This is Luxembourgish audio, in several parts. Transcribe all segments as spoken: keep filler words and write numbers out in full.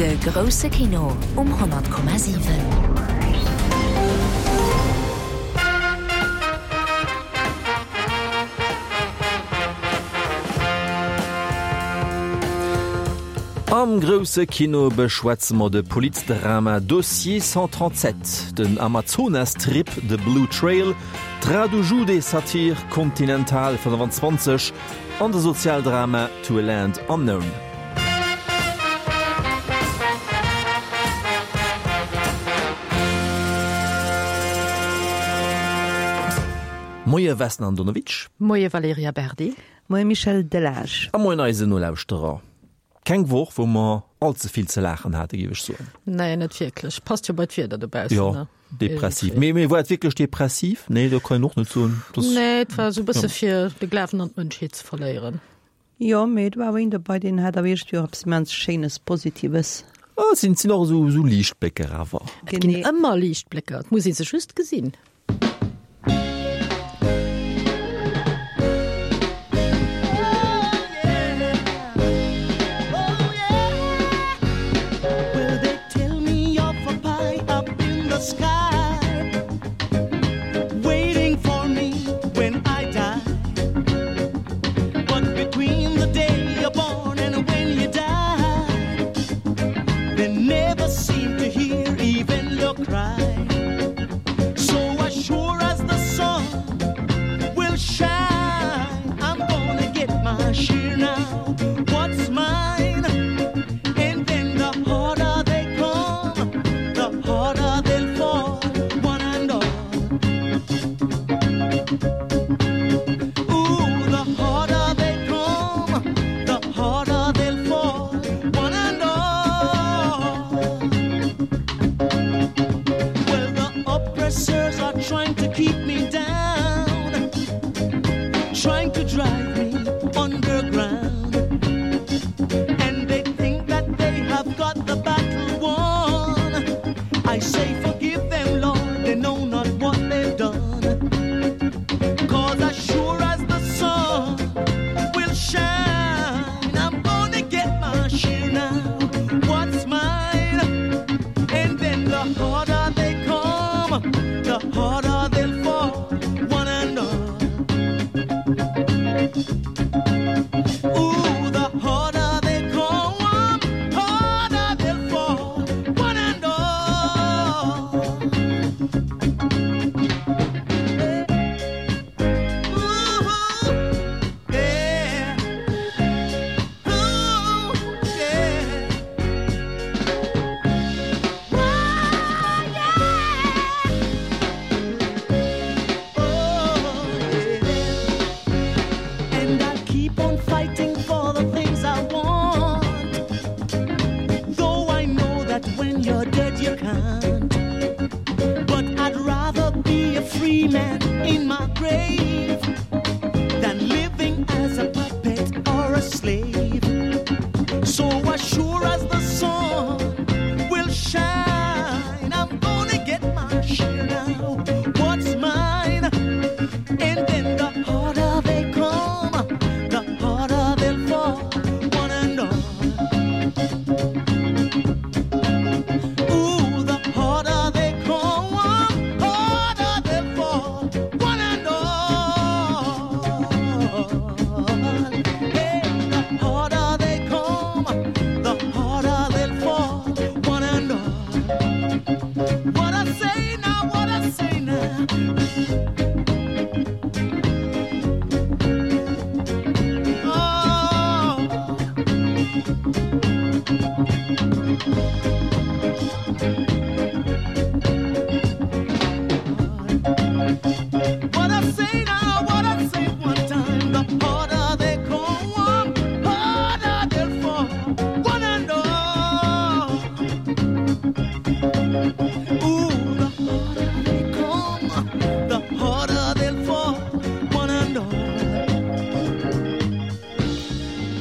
De grousse Kino um honnert Komma siwen. Am grousse Kino beschwätze mer de Polizdrama Dossier cent trente-sept, den Amazonas-Trip The Blue Trail, d'Radu Jude-Satir Continental fënnwanzwanzeg an de Sozialdrama To a Land Unknown. Moie Vesna Andonovic. Moie Valerija Berdi. Moie Michel Delage. A moien eisen Nolauschterer. Keng Woch, wou mer all ze vill ze laachen hate, géif ech soen. Nee, net wierklech. Passt jo bei d'Wieder dobaussen, Jo, ne? depressiv. Mee, mee war et wierklech depressiv? Nee, dat kann een och net soen. Das, Nee, et war esou e bësse fir de Glawen an d'Mënschheet ze verléieren. Jo, mee et war awer een dobei, deen hat awer iergendwéi och eppes immens Schéines, Positives. Ah, et sinn, sinn och esou, esou Liichtblécker awer. Et ginn ëmmer Liichtblécker, et muss ee se just gesinn.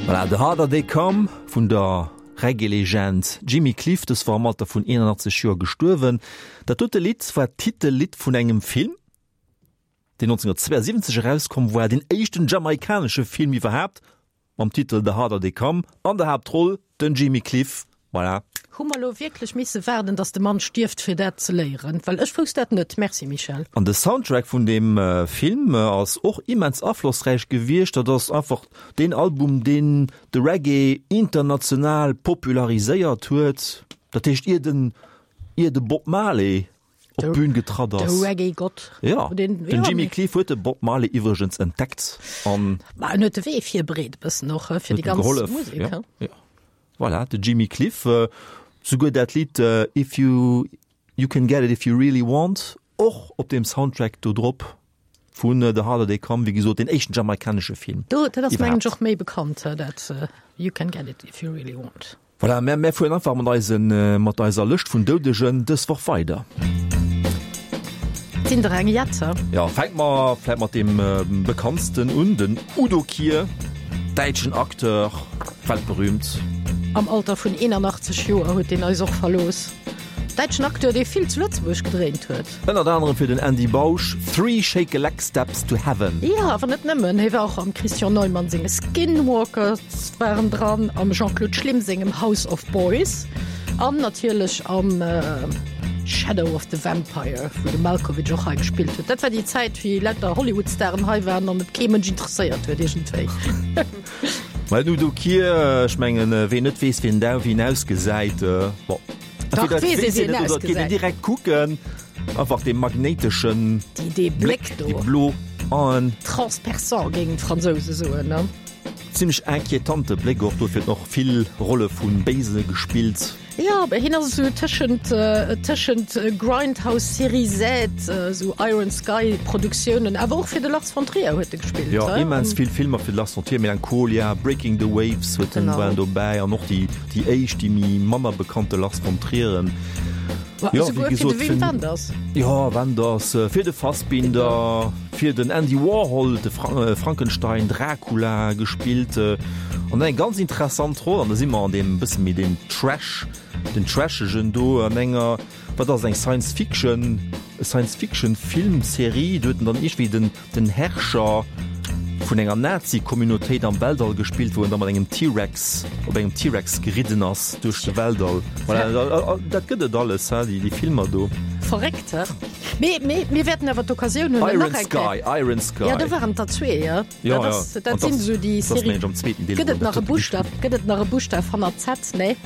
Voilà, The Harder They Come vun der Reggae-Legend Jimmy Cliff, dës war am Alter vun eenanachtzeg Joer gestuerwen. Dat dote Lidd war d'Titellidd vun engem Film, deen nonzénhundertzweeënsiwwenzeg erauskomm war, deen éischten jamaikanesche Film iwwerhaapt, mam Titel The Harder They Come, an der Haaptroll den Jimmy Cliff Voilà. Hu mer lo wierklech misse waarden, dass de Mann stierft, fir dat ze léieren? Well ech wousst dat net. Merci Michèle. An de Soundtrack vun deem Film ass och immens aflossräich gewiescht. Dat ass einfach deen Album, deen de Reggae international populariséiert huet. Dat heescht, ier den, ier de Bob Marley op d'Bün getratt ass. De Reggae-Gott. Ja, den Jimmy Cliff huet de Bob Marley iwwregens entdeckt an. Ma en huet de Wee virbereet e bëssen och fir déi ganz Musek. Ja, ja. Voilà, de Jimmy Cliff, souguer dat Lidd If you, you can get it if you really want, och op deem Soundtrack do drop vun The Harder They Come, wéi gesot, deen éischten jamaikanesche Film. Do, dat ass mengen ech och méi bekannt, dat You can get it if you really want. Voilà, mä mär fueren einfach mat eisen, mat eiser Lëscht vun Doudegen dës Woch weider. Et sinn der eng Jett. Jo, fänke mer vläit mat deem bekanntsten un, den Udo Kier. Däitschen Acteur, weltberühmt. Am Alter vun eenanachtzeg Joer huet deen eis och verlooss. Däitschen Acteur, dee vill zu Lëtzebuerg gedréint huet. Ënnert anerem fir den Andy Bausch, Three Shake-a-Leg Steps to Heaven. Jo, awer net nëmmen, hie war och am Christian Neumann senge Skinwalkers war en dran, am Jean-Claude Schlim sengem House of Boys an natierlech am Shadow of the Vampire, wou de Malkovich och hei gespillt huet. Dat war déi Zäit, wéi lauter Hollywood-Staren hei waren an et kee Mënsch interesséiert huet iergendwéi. Well den Udo Kier, ech mengen, ween net weess, wien dau wien ausgesäit, bon, Dach, entweder weess ee weess een wien et oder et geet een ausgesäit. direkt kucken, einfach dee magnéiteschen Déi, dee Bléck, Bléck do. déi blo Aen. Transperçant, géingen d'Fransouse soen, ne? Zimmlech inquietante Bléck och, dofir huet en och vill Rolle vu Béise gespillt. Jo, mä hien ass esou tëschent, tëschent Grindhouse, Série Z, esou Iron Sky Produktiounen, awer och fir de Lars von Trier huet e gespillt. Jo, immens vill Filmer fir de Lars von Trier, Melancholia, Breaking the Waves huet en, war en dobäi an och déi, déi éischt, déi méi manner bekannte Lars von Trieren. Jo, wéi gesot, fir de Wim Wenders. Jo, Wenders, fir de Fassbinder, fir den Andy Warhol, de Frankenstein, Dracula gespillt. An eng ganz interessant Roll, an da si mer an deem bësse méi deem Trash, den Trashegen do an enger, wat ass eng Science Fiction, Science Fiction Filmserie, do huet en dann iergendwéi den, den Herrscher vun enger Nazi-Communautéit am Weltall gespillt, wou en da mat engem T-Rex, op engem T-Rex geridden ass duerch de Weltall. Voilà, dat gëtt et alles, he, déi, déi Filmer do. Verréckt, he? Mee, mee mir wäerten awer d'Occasioun hunn, Iron nach eng Kéier. Sky, Iron Sky. Ja, do waren et der zwee, ja. Ja, Dat ass, ja. dat An sinn das, esou déi das Serie. mengen ech am zweeten Deel, Gëtt wou et nach dat e Buschtaf, gëtt et nach e Buschtaf hannert Z? Nee.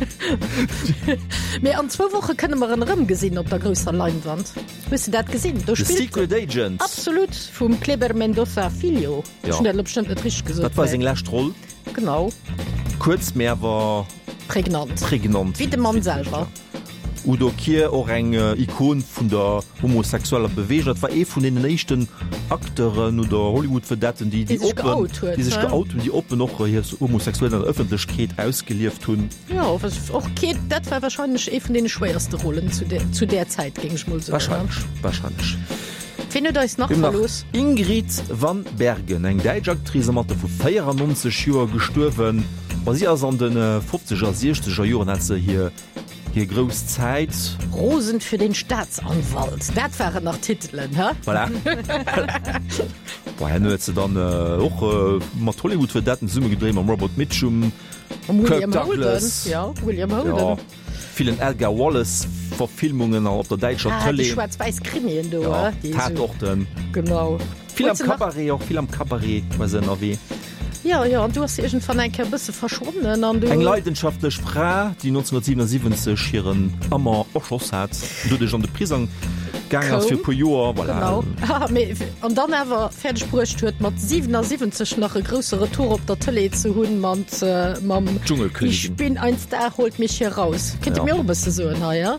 Mee an zwou Woche kënne mer en erëmgesinn op der grousser Leinwand. Hues de dat gesinn? Do The spillt Secret Agent. Absolut, vum Kleber Mendonça Filho. Ja. Ech hunn dat elo bestëmmt net richteg gesot, Dat war mä seng lescht Roll. Genau. Kuerz, mee awer Prägnant. prägnant. Wéi de Mann selwer. Udo Kier, och eng Ikon vun der homosexueller Beweegung. Dat war ee vun deenen éischten Acteuren oder Hollywood-Vedetten, déi Déi sech oppen, geout huet, déi sech ne? geout hunn, déi oppen och hir Homosexualitéit an der Ëffentlechkeet ausgelieft hunn. Jo, och kee, dat war wahrscheinlech ee vun deene schwéierste Rollen zu där, zu där Zäit, géing ech mol soen. Wahrscheinlech, wahrscheinlech. Ween huet eis nach Wien nach? verlooss? Ingrid van Bergen, eng däitsch Actrice, am Alter vu véierannonzeg Joer gestuerwen. Ma si ass an de fofzeger, siechzeger Joren hat se hir Hir grouss Zäit. Rosen für den Staatsanwalt, dat waren nach Titelen, hä? Voilà. Bon, herno huet se dann och mat Hollywood-Vedetten zesummegedréint, mam Robert Mitchum, Mam Kirk William Holden, Douglas. jo, William Holden. Jo, villen Edgar Wallace-Verfilmungen an op der däitscher Ah, déi Tëlee. schwaarz-wäiss Krimien do, Jo, hä? Déi esou. Tatorten. Genau. Vill am Huet se nach. Cabaret, och vill am Cabaret war se ënnerwee. Jo, jo, an du ass se iergendwann eng Kéier e bësse verschwonnen an du. Eng leidenschaftlech Fra, déi nonzénhunnertsiwwenundsiwwenzeg hiren Amant erschoss hat, an doduerch an de Prisong gaang ass fir e puer Joer. Voilà. Genau. Ah, mee, an dann awer fäerdeg bruecht huet, mat siwenasiwwenzeg nach e grousse Retour op der Tëlee ze hunn mat, mam Dschungelkönigin. Ich bin ein Star, holt mich hier raus. Kéint Dir Ja. mir och e bësse soen hei, ja?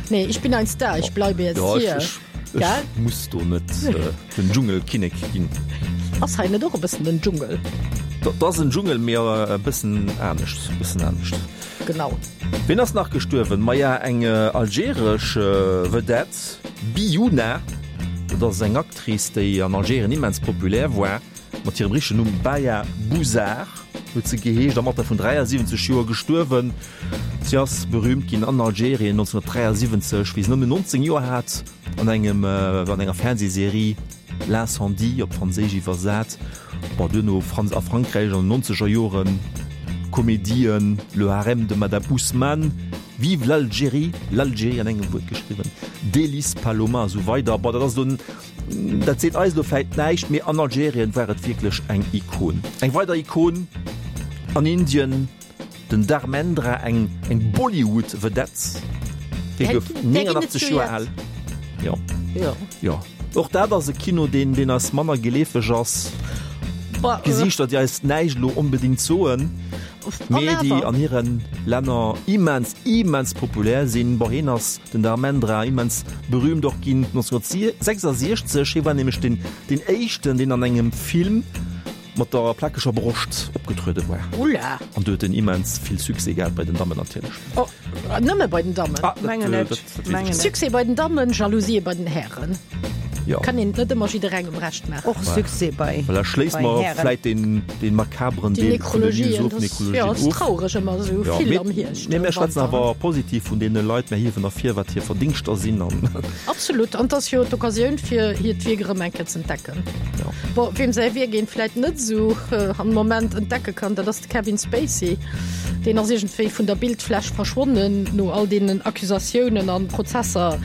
Nee, ich bin ein Star, ich bleibe jetzt Ja, ech, hier. ech, Gell? ech muss do net den Dschungelkinnek ginn. Ass hei net och e bëssen den Dschungel? Dat ass en Dschungel, mee e bëssen anescht, e bëssen anescht. Genau. Wien ass nach gestuerwen? Maja, eng algeresch Vedette, Biouna. Dat ass eng Actrice, déi an Algerien immens populär war. Mat hirem richtegen Numm Baya Bouzar huet se geheescht, am Alter vun dräiasiwwenzeg Joer gestuerwen. Si ass berüümt ginn an Algerien nonzénhunnertdräiasiwwenzeg, wéi se nëmmen nonzéng Joer hat, an engem an enger Fernsehserie L'incendie, op Franséisch iwwersat. Bon, duerno Franz a Frankräich an den nonzeger Joren Komedien, Le Harem de Madame Ousmane, Vive l'Algérie, l'Algérie an engem Wuert geschriwwen, Délices Paloma a sou weider. Bon, dat ass elo, dat seet eis elo vläit näischt, mee an Algerien war et wierklech eng Ikon. Eng weider Ikon an Indien, den Dharmendra, eng eng Bollywood-Vedette, dee gouf neunundachtzeg Joer al. Jo. Jo. Och dat ass e Kino, deen deen eis manner geleefeg ass. Gesiichter, déi eis näischt elo onbedéngt soen, mee déi an hire Länner immens, immens populär sinn. Bon, hien ass, den Dharmendra, immens berühmt och ginn neunzehnhundertsechsundsechzeg. Hie war nämlech deen, deen éischten, deen an engem Film mat der plakeger Broscht opgetruede war. Ulla! An do huet en immens vill Succès gehat, bei den Dammen natierlech. Oh, nëmme bei den Dammen? Ah, dat, Mengen dat, net, dat weess ech mengen net. net. Succès bei den Dammen, Jalousie bei den Hären. Jo. Kann een et net ëmmer jidderengem Recht maachen. Och Succès bei Voilà, schléisse bei mer Hären. vläit deen, deen makabren Déi Deel vun den Nekrologien, News of das, ja, Nekrologien ass of. traureg ëmmer esou Ja, vill mee, am Hierscht, mee mir am schwätzen Wanter. awer positiv vun deene Leit, mir hiewen ervir, wat hir Verdingschter sinn an. Absolut, an 't ass jo d'Occasioun fir hiert Wierk erëm eng Kéier z'entdecken. Ja. Bon, weem säi Wierk een vläit net esou am Moment entdecke kann, dat ass de Kevin Spacey. Deen ass iergendwéi vun der Bildfläch verschwonnen no all deenen Accusatiounen an Prozesser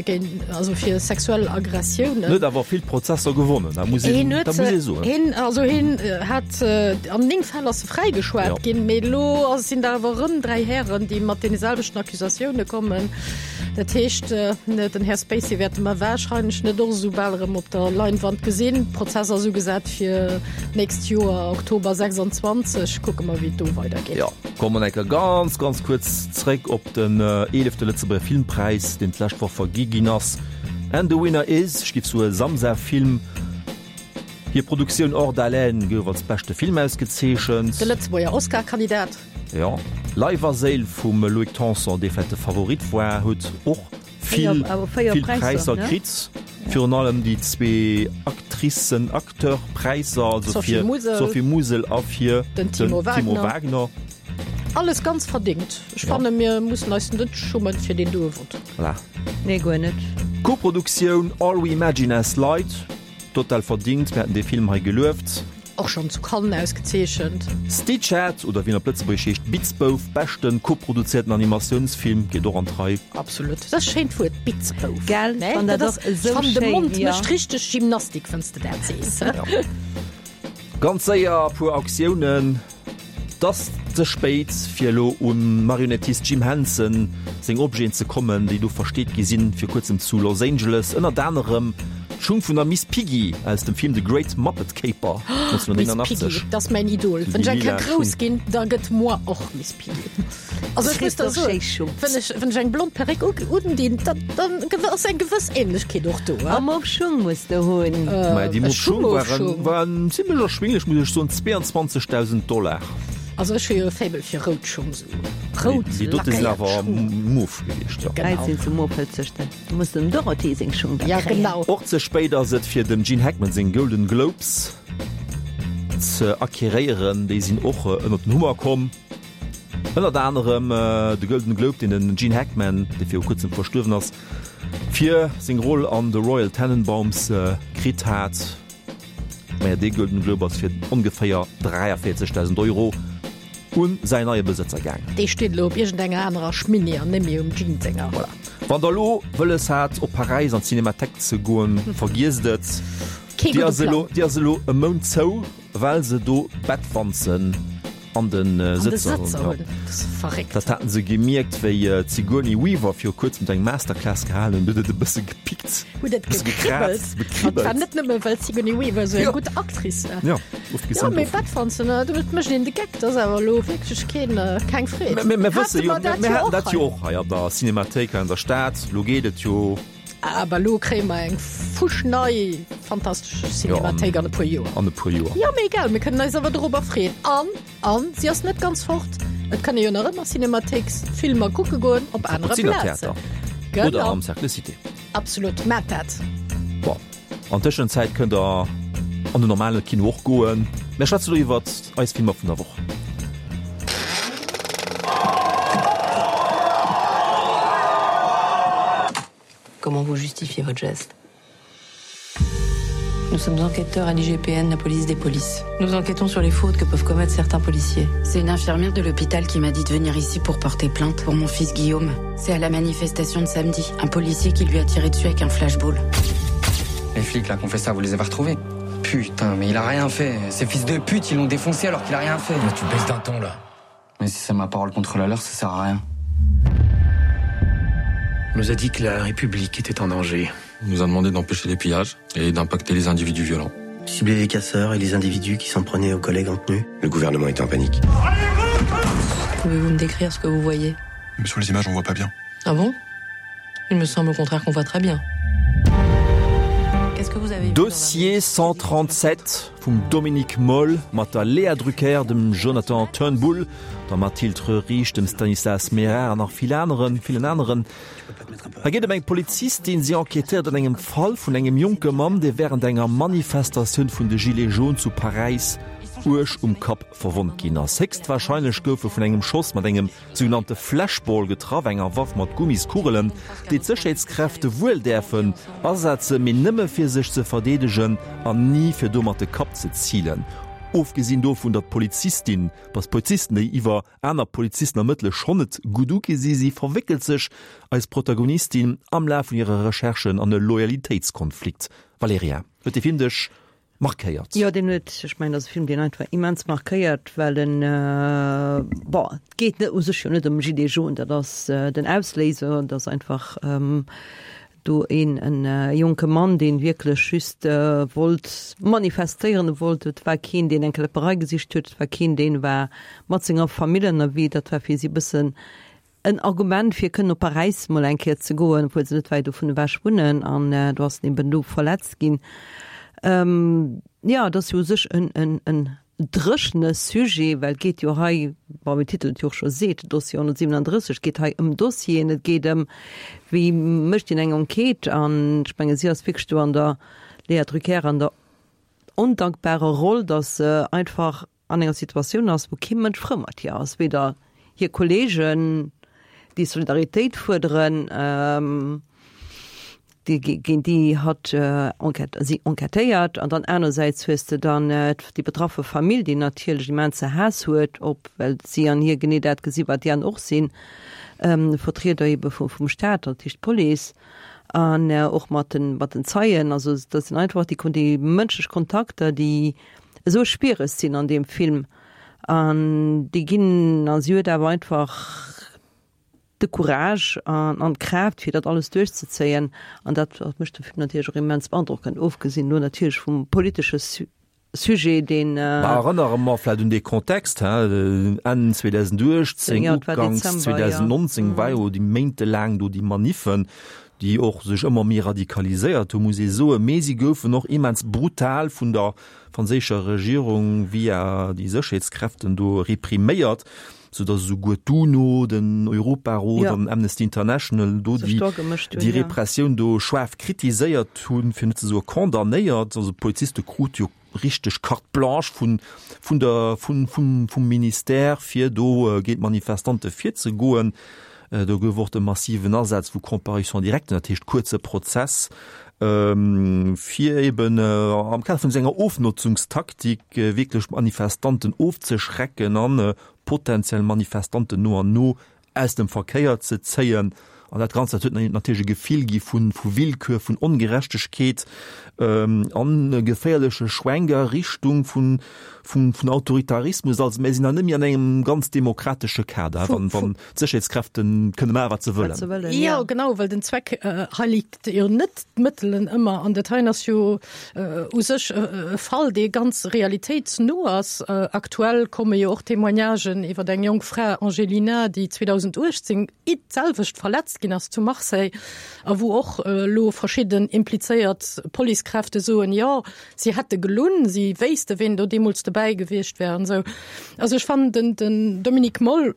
géint, also fir sexuell Aggressiounen. En huet awer vill Prozesser gewonnen, dat muss een, dat muss ee soen. Hien, also hien hat, an néng Fäll ass e fräigeschwat ginn, mee elo sinn der awer erëm dräi Hären, déi mat deene selwechten Accusatioune kommen. Dat heescht, den Här Spacey wäerte mer warscheinlech net och esou bal erëm op der Leinwand gesinn. Prozess ass ugesat fir d'nächst Joer, Oktober sechsundzwanzeg. Kucke mer, wéi et do weidergeet. Jo, komme mer enker ganz, ganz kuerz zréck op den eelefte Lëtzebuerger Filmpräis, deen d'lescht Woch vergi ginn ass. And the winner is, ech géif soe Samsa Film. Hir Produktioun Hors d'haleine gouf als beschte Film ausgezeechent. De Lëtzebuerger Oscar-Kandidat. Jo, Leif a Séil vum Loïc Tanson, dee vläicht de Favorit war, huet och vill, vill Präisser kritt. Virun allem déi zwee Actricen, Acteur-Präisser, also fir d'Sophie Musel a fir den Timo Wagner. Alles ganz verdingt. Ech fanne mir mussen eis net schummen fir deen doe Vott. Voilà. Nee, guer net. Koproduktioun All We Imagine As Light, total verdingt, mir haten dee Film hei gelueft. Och schonn zu Cannes ausgezeechent. Stitchhead, oder wéi en op Lëtzebuergesch heescht, Bitzbouf, beschten koproduzierten Animatiounsfilm, geet och an d'Rei. Absolut. Dat ass e schéint Wuert, Bitzbouf. Gell, Ne? wann dat Dat ass, och esou ech fannen, de schéin, Mond jo. mécht richteg Gymnastik, wann s de dat sees. Ja. Ganz séier e puer Auktiounen. 't ass ze spéit fir elo um Marionettist Jim Henson seng Objeten ze kommen, déi do versteet gi sinn vir kuerzem zu Los Angeles, ënnert anerem d'Schung vun der Miss Piggy aus dem Film The Great Muppet Caper Miss Piggy, neunzehnhundertneunundachtzeg. dat ass mäin Idol. Déi Wann ech eng lila Kéier grouss Schung. ginn, da gëtt moi och Miss Piggy. Also ech muss der soen, wann ech, wann ech eng blond Perréck undinn, da, dann ass eng gewëss Ähnlechkeet och do. A mauve Schung muss de hunn. Mä déi E mauve Schung waren, Schung. waren zimlech erschwinglech, muss ech soen, zweeandzwanzegdausend Dollar. Also ech hu jo e Faible fir rout Schung, sou rout Déi dote sinn lackéiert awer Schung. mauve gewiescht, jo. Genau. Hei sinn se mauve-hëtzeg, da muss dem Dorothée seng Schung da Ja, kréien. genau. Och ze spéit ass et fir dem Gene Hackman seng Golden Globes ze acquéréieren, déi sinn och ënnert den Hummer komm. Ënnert anerem de Golden Globe, deen den Gene Hackman, dee viru kuerzem verstuerwen ass, fir seng Roll an The Royal Tenenbaums kritt hat. Maja, dee Golden Globe ass fir ongeféier dräiavéierzegdausend Euro un säin neie Besëtzer gaang. Dee steet elo op iergendenger anerer Schminni an net méi um Gene senger. Voilà. Wann der elo wëlles hat, op Paräis an d'Cinémathèque ze goen, vergiesst et. Kee Déi gudde ass elo, Plang. déi ass elo e Mount zou, well se do Bettwanzen an de An de Sëtzer hunn. Sëtzer Ja. hunn. Dat ass verréckt. Dat haten se gemierkt, wéi d'Sigourney Weaver viru kuerzem do eng Masterclass gehalen hunn, huet et e bësse gepickt, Huet et bësse gekribbelt. gekraazt, An et war gekribbelt. net nëmme, well d'Sigourney Weaver esou eng Ja. gutt Actrice war. Ja, Ja, ofgesinn mee dovun. Bettwanzen, domat mécht een de Geck, dat ass awer elo wierklech keen, keng Freed. Mä mir wësse Hate jo, mer dat mir jo haten och dat jo hei. och hei an der Cinémathéik hei an der Stad. Elo geet et jo. Awer elo kréie mer eng fuschnei fantastesch Cinémathéik an e puer Joer. An e puer Joer. Jo, mee egal, mir kënnen eis awer dorobber freeën. An, an si ass net ganz fort, et kann ee jo nach ëmmer Cinémathéiksfilmer kucke goen op anere Plazen. Kapuzinertheater. Oder Genau. am Cercle Cité. Absolut, maacht dat. Bon, an Tëschenzäit kënnt der an den normale Kino och goen. Mir schwätze lo iwwert eis Filmer vun der Woch. Comment vous justifiez votre geste? Nous sommes enquêteurs à l'I G P N, la police des polices. Nous enquêtons sur les fautes que peuvent commettre certains policiers. C'est une infirmière de l'hôpital qui m'a dit de venir ici pour porter plainte pour mon fils Guillaume. C'est à la manifestation de samedi, un policier qui lui a tiré dessus avec un flashball. Les flics là qu'on fait ça, vous les avez retrouvés? Putain, mais il a rien fait. Ces fils de pute, ils l'ont défoncé alors qu'il a rien fait. Mais tu baisses d'un ton là. Mais si c'est ma parole contre la leur, ça sert à rien. On nous a dit que la République était en danger. On nous a demandé d'empêcher les pillages et d'impacter les individus violents. Cibler les casseurs et les individus qui s'en prenaient aux collègues en tenue. Le gouvernement est en panique. Pouvez-vous me décrire ce que vous voyez? Mais sur les images, on voit pas bien. Ah bon? Il me semble au contraire qu'on voit très bien. Dossier cent trente-sept vum Dominik Moll mat der Léa Drucker, dem Jonathan Turnbull, der Mathilde Röhricht, dem Stanislas Mérard an nach vill aneren, villen aneren. Hei geet et ëm eng Polizistin, si enquêtéiert an engem Fall vun engem jonke Mann, dee wärend enger Manifestatioun vun de Gilets jaunes zu Paräis uerg um Kapp verwonnt ginn ass. Héchstwarscheinlech gouf e vun engem Schoss mat engem sougenannte Flashball getraff, enger Waff mat Gummiskugelen, déi d'Sécherheetskräfte wuel däerfen asetzen, mee nëmme fir sech ze verdeedegen an ni fir domat de Kapp ze zilen. Ofgesinn dovun, datt d'Polizistin, datt Polizisten, déi iwwer aner Polizisten ermëttele schonn net gutt ugesi si, verwéckelt sech eis Protagonistin am Laf vun hire Recherchen an e Loyalitéitskonflikt. Valerija, huet dee Film dech markéiert? Jo, deen huet, ech mengen, dat ass e Film, deen einfach immens markéiert, well en, bon, et geet net u sech jo net ëm Gilets jaunes, dat ass den Ausléiser, dat ass einfach do een en jonke Mann, deen wierklech just wollt manifestéieren, wollt, et war keen, deen eng Kläpperei gesicht huet, et war keen, deen war mat senger Famill ënnerwee, dat war fir si e bëssen en Argument fir kënnen op Paräis mol eng Kéier ze goen, obwuel se net wäit dovun ewech wunnen, an do ass en eben do verletzt ginn. Jo, et ass jo u sech en, en, en dréchene Sujet, well et geet jo hei, bon, wéi den Titel et jo och scho seet, Dossier honnertsiewenandrësseg, et geet hei ëm Dossieren, et geet ëm, wéi mécht een eng Enquête, an ech menge si ass wierklech do an der Léa Drucker an der ondankbarer Roll, datt se einfach an enger Situatioun ass, wou kee Mënsch frou mat hir ass, weder hir Kolleegen, déi Solidaritéit fuerderen, déi géint déi hatt enquête, si enquêtéiert, an dann anersäits hues de dann déi betraffe Famill, déi natierlech immense Haass huet op, well si an hir genee dat gesi wat déi aner och sinn, Vertrieder ebe vum Staat, dat heescht d'Police, an och mat den, mat den Zeien. Also dat sinn einfach déi, déi mënschlech Kontakter, déi esou schwiereg sinn an deem Film, an déi ginn, a si huet awer einfach de Courage an an d'Kraaft fir dat alles duerchzezéien, an dat mécht de Film natierlech och immens beandrockend, ofgesinn do natierlech vum politesche Sujet, deen. Mä erënnere mer vläicht un dee Kontext, he, Enn zweedausenduechtzéng, Jo, et war uganks Dezember, jo. zweedausendnonzéng war jo déi méintelaang do déi Maniffen, déi och sech ëmmer méi radikaliséiert hu, muss ee soen, mee si goufen och immens brutal vun der franséischer Regierung via déi Sécherheetskräften do repriméiert, sou datt esouguer d'UNO, den Europarot Ja. an Amnesty International do Sech déi do agemëscht hunn, déi ja. Repressioun do schaarf kritiséiert hunn, fir net ze soe condamnéiert. Also d'Poliziste krute jo richteg Carte blanche vun vun der vun vum vum Ministère fir do géint d'Manifestante virzegoen. Do gouf och de massiven Asaz vu Comparution directe, dat heescht kuerze Prozess, fir eben am Kader vun senger Ofnotzungstaktik wierklech Manifestanten ofzeschrecken an potenziell Manifestanten no an no aus dem Verkéier ze zéien. An dat Ganzt dat huet natierlech e Gefill gi vu vu Willkür, vun Ongerechtegkeet an e geféierleche Schwenk a Richtung vun vun vun Autoritarismus. Also mir sinn da net méi an engem ganz demokratesche Kader, wann wann d'Sécherheetskräften kënne maache wat se wëllen. Jo, genau, well den Zweck heiligt jo net d'Mëttelen ëmmer. An dat heien ass jo u sech e Fall, dee ganz realitéitsno ass. Aktuell komme jo och Témoignagen iwwer eng jonk Fra, Angelina, déi zweedausenduechtzéng d'selwecht verletzt ginn ass zu Marseille a wou och elo verschidden implizéiert Policekräfte soen, jo, si hätte gelunn, si wéisste ween do deemools dobäi gewiescht wär an esou. Also ech fannen den den Dominik Moll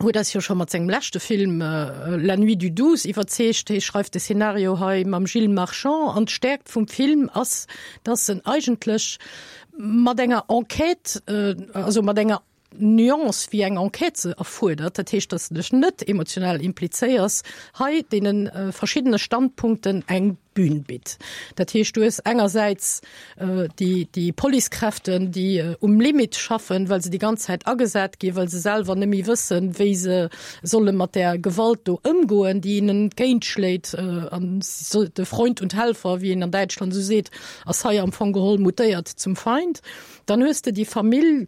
huet eis jo scho mat sengem leschte Film La nuit du douze iwwerzeegt. Hie schreift de Szenario hei mam Gilles Marchand an d'Stäerkt vum Film ass, dass en eigentlech mat enger Enquête, also mat enger Nuance, wéi eng Enquête se erfuerdert, dat heescht, dass de dech net emotionell implizéiers, hei deene verschiddene Standpunkten eng Bühn bitt. Dat heescht, du hues engersäits déi, déi Policekräften, déi um Limit schaffen, well se déi ganz Zäit agesat ginn, well se selwer net méi wëssen, wéi se solle mat där Gewalt do ëmgoen, déi hinnen entgéintschléit. An de Freund und Helfer, wéi een an Däitschland esou seet, ass hei am Fong geholl mutéiert zum Feind. Dann hues de déi Famill,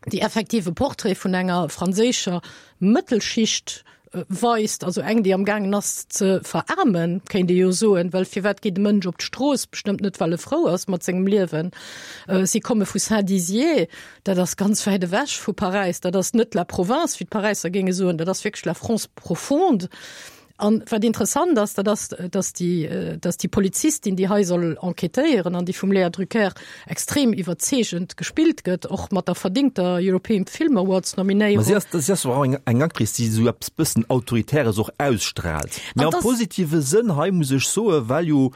déi effektiv e Portrait vun enger franséischer Mëttelschicht weist, also eng, déi am gaangen ass ze veraarmen, kéint ee jo soen, well firwat geet e Mënsch op d'Strooss? Bestëmmt net, well e frou ass mat sengem Liewen. Si komme vu Saint-Dizier, dat ass ganz wäit ewech vu Paräis, dat ass net la province, wéi d'Paräisser géinge soen, dat ass wierklech la France profonde. An wat interessant ass, dat ass, dass déi, dass déi Polizistin, déi hei soll enquêtéieren an déi vum Léa Drucker extrem iwwerzeegend gespillt gëtt, och mat der verdingter European Film Awards Nominéierung. Ma si ass, si ass och eng, eng Actrice, déi esou eppes bëssen Autoritäres och ausstrahlt. Mä am positive Sënn hei, muss ech soen, well jo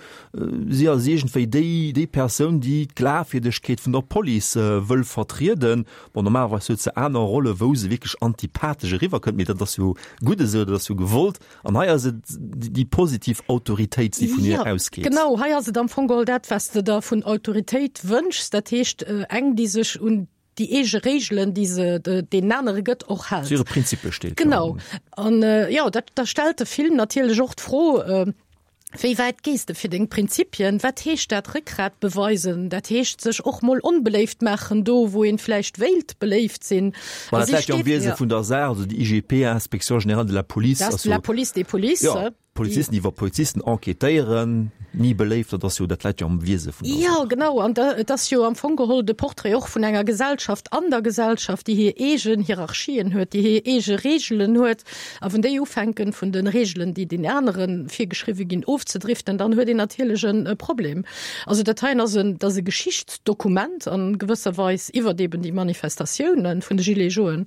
si ass iergendwéi déi, déi Persoun, déi d'Glafwierdegkeet vun der Police wëll vertrieden. Bon, normalerweis huet se aner Rolle, wou se wierklech antipathesch eriwwerkënnt, mee dat ass jo gutt esou, dat ass jo gewollt. An hei ass et déi positiv Autoritéit, déi vun hir ausgeet. Genau, hei ass et am Fong geholl dat, wat s de der vun Autoritéit wënschs, dat heescht eng, déi sech un déi eege Reegelen, déi se deenen anere gëtt, och hält. Zu hire Prinzippe steet. Genau. An jo, dat, da stellt de Film natierlech och d'Fro, Wéi wäit gees de fir deng Prinzipien? Wat heescht dat, Réckgrat beweisen? Dat heescht, sech och mol onbeléift maachen, do wou een vläicht wéilt beléift sinn. Voilà, dat läit jo am Wiese vun der Saach, also déi I G P, Inspection générale de la police, Dat ass la police des polices. Jo, Polizisten, déi iwwer Polizisten enquêtéieren, ni beléift, dat ass jo, dat läit jo am Wiese vun der Saach. Jo, genau, an et ass jo am Fong geholl de Portrait och vun enger Gesellschaft an der Gesellschaft, déi hir eegen Hierarchien huet, déi hir eege Reegelen huet. A wann déi ufänken, vun de Reegelen, déi den anere virgeschriwwe ginn, ofzedriften, dann huet een natierlech e Problem. Also dat heien ass en, dat ass e Geschichtsdokument a gewësser Weis iwwert eben déi Manifestatiounen vun de Gilets jaunes.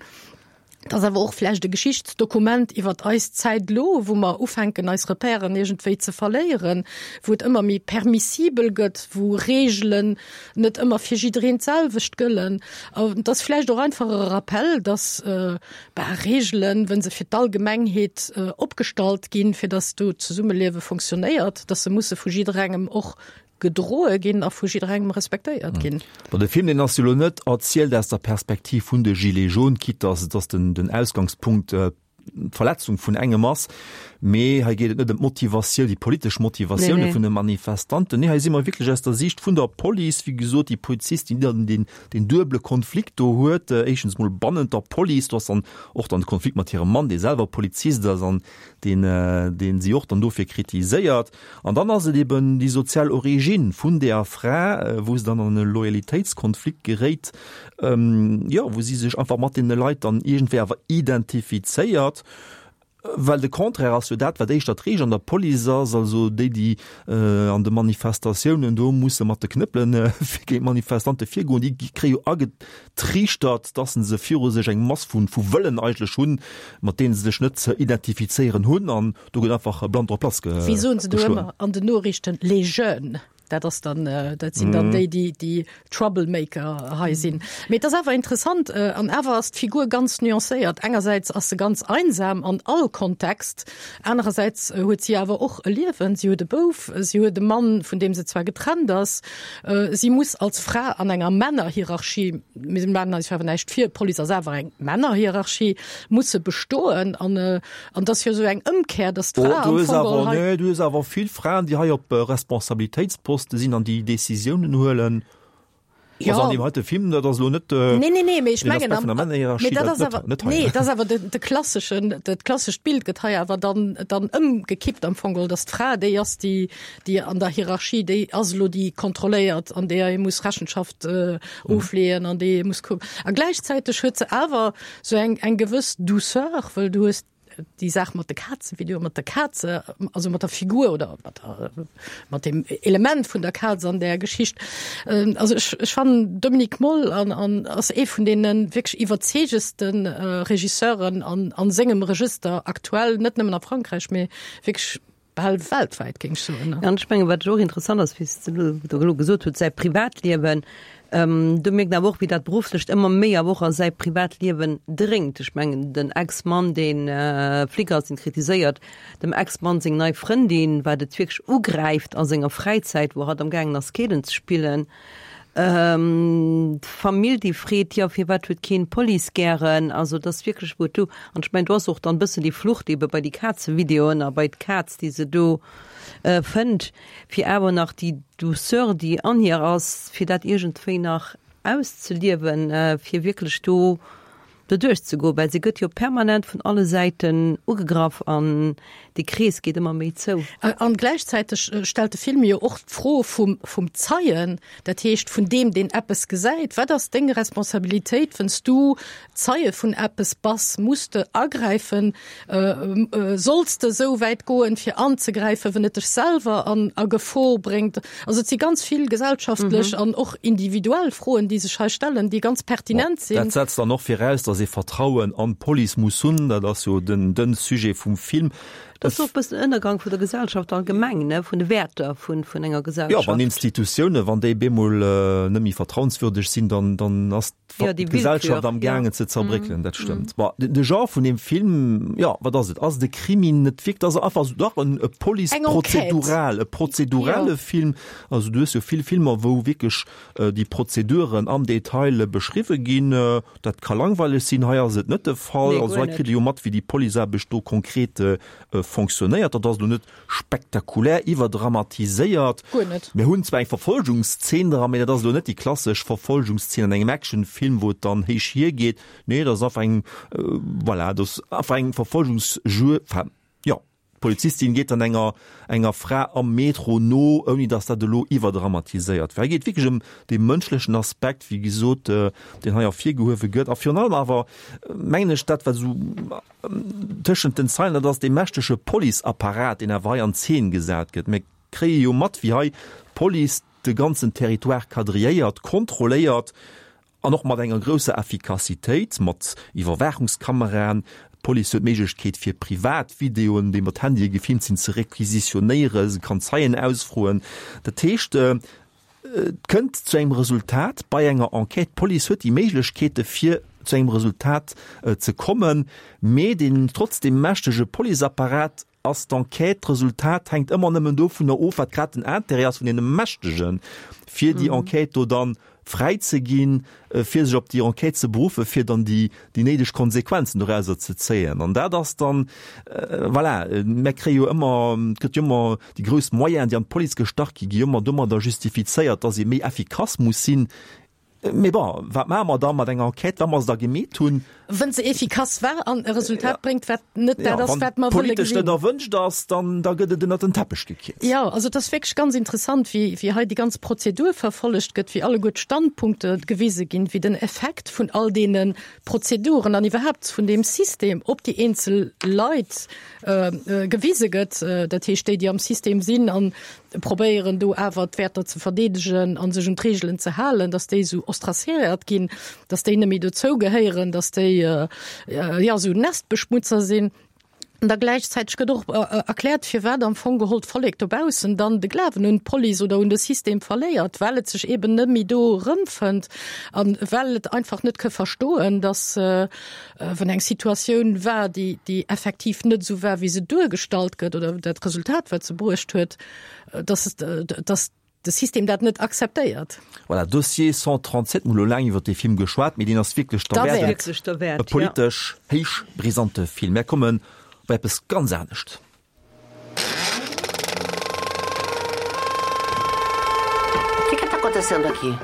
Dat ass awer och vläicht e Geschichtsdokument iwwert eis Zäit elo, wou mer ufänken, eis Repèren iergendwéi ze verléieren, wou et ëmmer méi permissibel gëtt, wou Reegelen net ëmmer fir jiddereen d'selwecht gëllen. An et ass vläicht och einfach e Rappell, dass, Bah, Reegelen, wa se fir d'Allgemengheet opgestallt ginn, fir datt do d'Zesummeliewe fonctionnéiert, datt se musse vu jidderengem och gedroe ginn a vu jidderengem respektéiert ginn. Bon, de Film, deen ass jo elo net erzielt aus der Perspektiv vun de Gilets jaunes, quitte datt datt den den Ausgangspunkt d'Verletzung vun engem ass, mee hei geet et net ëm d'Motivatioun, déi politesch Motivatioune vun de Manifestanten. Nee, hei si mer wierklech aus der Siicht vun der Police, wéi gesot, déi Polizistin, déi dann deen, deen duebele Konflikt do huet, éischtens mol bannent der Police, do ass dann och dann de Konflikt mat hirem Mann, dee selwer Polizist ass an deen, deen si och dann dofir kritiséiert. An dann ass et eben déi sozial Origine vun där Fra, wou se dann an e Loyalitéitskonflikt geréit, jo, wou si sech einfach mat deene Leit dann iergendwéi awer identifizéiert. Well de Contraire ass jo dat, wat éischter d'Reegel an der Police ass, also déi, déi an de Manifestatiounen do musse mat de Knëppelen géint d'Manifestante virgoen, déi kréie jo agetriichtert, dass se viru sech eng Mass vu Wëllen eigentlech hunn, mat deene se sech net ze identifizéieren hunn, an do gëtt einfach blann drop lass Wéi soen se do geschloen. ëmmer an den Noriichten, les jeunes. Dat ass dann, dat sinn dann déi, déi déi Troublemaker hei sinn. Mee et ass awer interessant, an awer ass d'Figur ganz nuancéiert. Engersäits ass se ganz einsam an all Kontext, anerersäits huet si awer och e Liewen, si huet e Bouf, si huet e Mann, vun deem se zwar getrennt ass. Si muss als Fra an enger Männerhierarchie, mir maachen eis jo awer näischt vir, d'Police ass awer eng Männerhierarchie, muss se bestoen. An an et ass jo esou eng Ëmkehr, datt d'Fra am Fong geholl hei. Du hues awer vill Fraen, déi hei op Responsabilitéitsposte sinn an déi Decisiounen huelen. Ja. Also an deem heite Film, dat ass elo net Nee, nee, nee, mee ech den mengen Aspekt am, vun der Männerhierarchie, mee dat dat ass net, awer, net hei. nee, dat ass awer de, de klasseschen, dat klassescht Bild gëtt hei awer dann, dann ëmgekippt am Fong geholl, datt d'Fra déi ass, déi, déi an der Hierarchie, déi ass elo déi kontrolléiert an deeër ee muss Rechenschaft äh, ofleeën an déi ee muss kucken. A gläichzäiteg huet se awer sou eng, eng gewëss Douceur, wëll du hues déi Saach mat de Kazen, Video mat der Kaze, also mat der Figur oder mat der, mat dem Element vun der Kaz an der Geschicht. Also ech, ech fannen Dominik Moll an, an ass ee vun deene wierklech iwwerzeegendste Regisseuren an, an sengem Register aktuell, net nëmmen a Frankräich, mee wierklech bal weltwäit, géing ech soen. An ech mengen, wat och interessant ass, wéi s de elo gesot hutt, säi Privatliewen, Do mierkt een awer och, wéi dat Berufflecht ëmmer méi awer och a säi Privatliewen dréngt. Ech mengen, den Ex-Mann, dee Flic ass, deen kritiséiert dem Ex-Mann seng nei Frëndin, wat et wierklech ugräift a senger Fräizäit, wou hatt am gaangen ass, Keelen ze spillen. D'Famill, déi freet, jo, firwat huet keen d'Police gären? Also, et ass wierklech, wou et do, an ech mengen, do ass och dann e bëssen déi Flucht ebe bei déi Kazevideoen a bei d'Kaz, déi se do fënnt, fir awer nach déi Douceur, déi an hir ass, fir dat iergendwéi nach auszeliewen, fir wierklech do doduerch ze goen, well se gëtt jo permanent vun alle Säiten ugegraff an dee Krees geet ëmmer méi zou. An gläichzäiteg stellt de Film jo och d'Fro vum, vum Zeien, dat heescht vun deem, deen eppes gesäit. Wat ass deng Responsabilitéit, wann s du Zeie vun eppes bass? Muss de agräifen? Solls de esou wäit goen, fir anzegräifen, wann et dech selwer an a Gefor bréngt? Also et si ganz vill gesellschaftlech an och individuell Froen, déi sech hei stellen, déi ganz pertinent sinn. Dat setzt dann och viraus, datt ee Vertrauen an d'Police muss hunn. Dat ass jo den den Sujet vum Film. Dat ass och e bëssen den Ënnergang vun der Gesellschaft allgemeng, ne, vun de Wäerter vun vun enger Gesellschaft. Jo, wann Institutiounen, wann déi bemol net méi vertrauenswürdeg sinn, dann dann ass Ja, déi d'Gesellschaft Willkür, am ja. gaangen ze zerbréckelen, dat stëmmt. Bon, de Genre vun deem Film, jo, wat ass et? Ass et e Krimi? Net wierklech, ass einfach esou, dach, en e Eng Enquête. Police-prozedural, e prozedurale Jo. Film. Also du hues jo vill Filmer, wou wierklech déi Prozeduren am Detail beschriwwe ginn. Dat ka langweileg sinn, hei ass et net de Fall. Nee, Also guer hei net. kritt ee jo mat, wéi déi Policeaarbecht do konkret fonctionnéiert. Dat ass elo net spektakulär iwwerdramatiséiert. Guer net. Mir hunn zwar eng Verfolgungszeen dran, mee dat ass elo net déi klassesch Verfolgungszeen an engem Actionfilm, wou et dann héich hiergeet. Nee, dat ass einfach eng, voilà, dat ass einfach eng Verfolgungsjuegd, enfin, jo, d'Polizistin geet dann enger, enger Fra am Metro no, ouni dass dat elo iwwerdramatiséiert wär. Hei geet et wierklech ëm dee mënschlechen Aspekt, wéi gesot, deen hei ervirgehuewe gëtt. A virun allem awer, mengen ech, dat wat esou tëschent den Zeilen, dat ass dee mächtege Policeapparat, deen awer hei an Zeen gesat gëtt. Mir kréie jo mat, wéi hei d'Police de ganzen Territoire quadrilléiert, kontrolléiert an och mat enger grousser Effikassitéit, mat Iwwerwaachungskameraen. D'Police huet d'Méiglechkeet, fir privat Videoen, déi mat Handye gefilmt sinn, ze requisitionéieren. Se kann Zeien ausfroen. Dat heescht, et kënnt zu engem Resultat bei enger Enquête. D'Police huet déi Méiglechkeete fir zu engem Resultat ze kommen, mee deen trotzdem mächtege Policeapparat ass d'Enquête, d'Resultat hänkt ëmmer nëmmen dovunner of, wat grad den Intérêt ass vun deene Mächtegen, fir déi Enquête do dann fräi ze ginn, fir sech op déi Enquête ze beruffen, fir dann déi déi néideg Konsequenzen dorauser ze zéien. An dat ass dann, voilà, mir kréie jo ëmmer, et gëtt jo ëmmer déi grouss Moyenen, déi an d'Police gestach gi, gi jo ëmmer domadder justifizéiert, dass ee méi effikass muss sinn. Mee bon, wat maache mer da mat enger Enquête, wa mer se da gemeet hunn? Wa se efficace war an e Resultat bréngt, wat net dat ass, wat mer wëlle Wann politesch gesinn. net erwënscht ass, dann da gëtt et ënnert den Teppech gekiert. Jo, also et ass wierklech ganz interessant, wéi, wéi hei déi ganz Prozedur verfollegt gëtt, wéi alleguer d'Standpunkte gewise ginn, wéi den Effekt vun all deene Prozeduren an iwwerhaapt vun deem System op déi eenzel Leit gewise gëtt, dat heescht déi, déi am System sinn an probéieren do awer d'Wäerter ze verdeedegen a sech un d'Reegelen ze halen, datt déi esou ostraciséiert ginn, datt déi net méi dozou gehéieren, datt déi jo esou Nestbeschmutzer sinn. An da gläichzäiteg gëtt och erkläert, firwat am Fong geholl d'Vollek dobaussen dann de Glawen un d'Police oder un de System verléiert, well et sech eben net méi do erëmfënnt a well et einfach net ka verstoen, datt wann eng Situatioun war, déi déi effektiv net esou war, wéi se duergestallt gëtt oder dat Resultat, wat se bruecht huet, dass dass de System dat net akzeptéiert. Voilà, Dossier cent trente-sept, mir hu lo laang iwwer dee Film geschwat, mee deen ass wierklech derwäert. E politesch héich brisante Film. Mär kommen op eppes ganz anescht. O que que tá acontecendo aqui?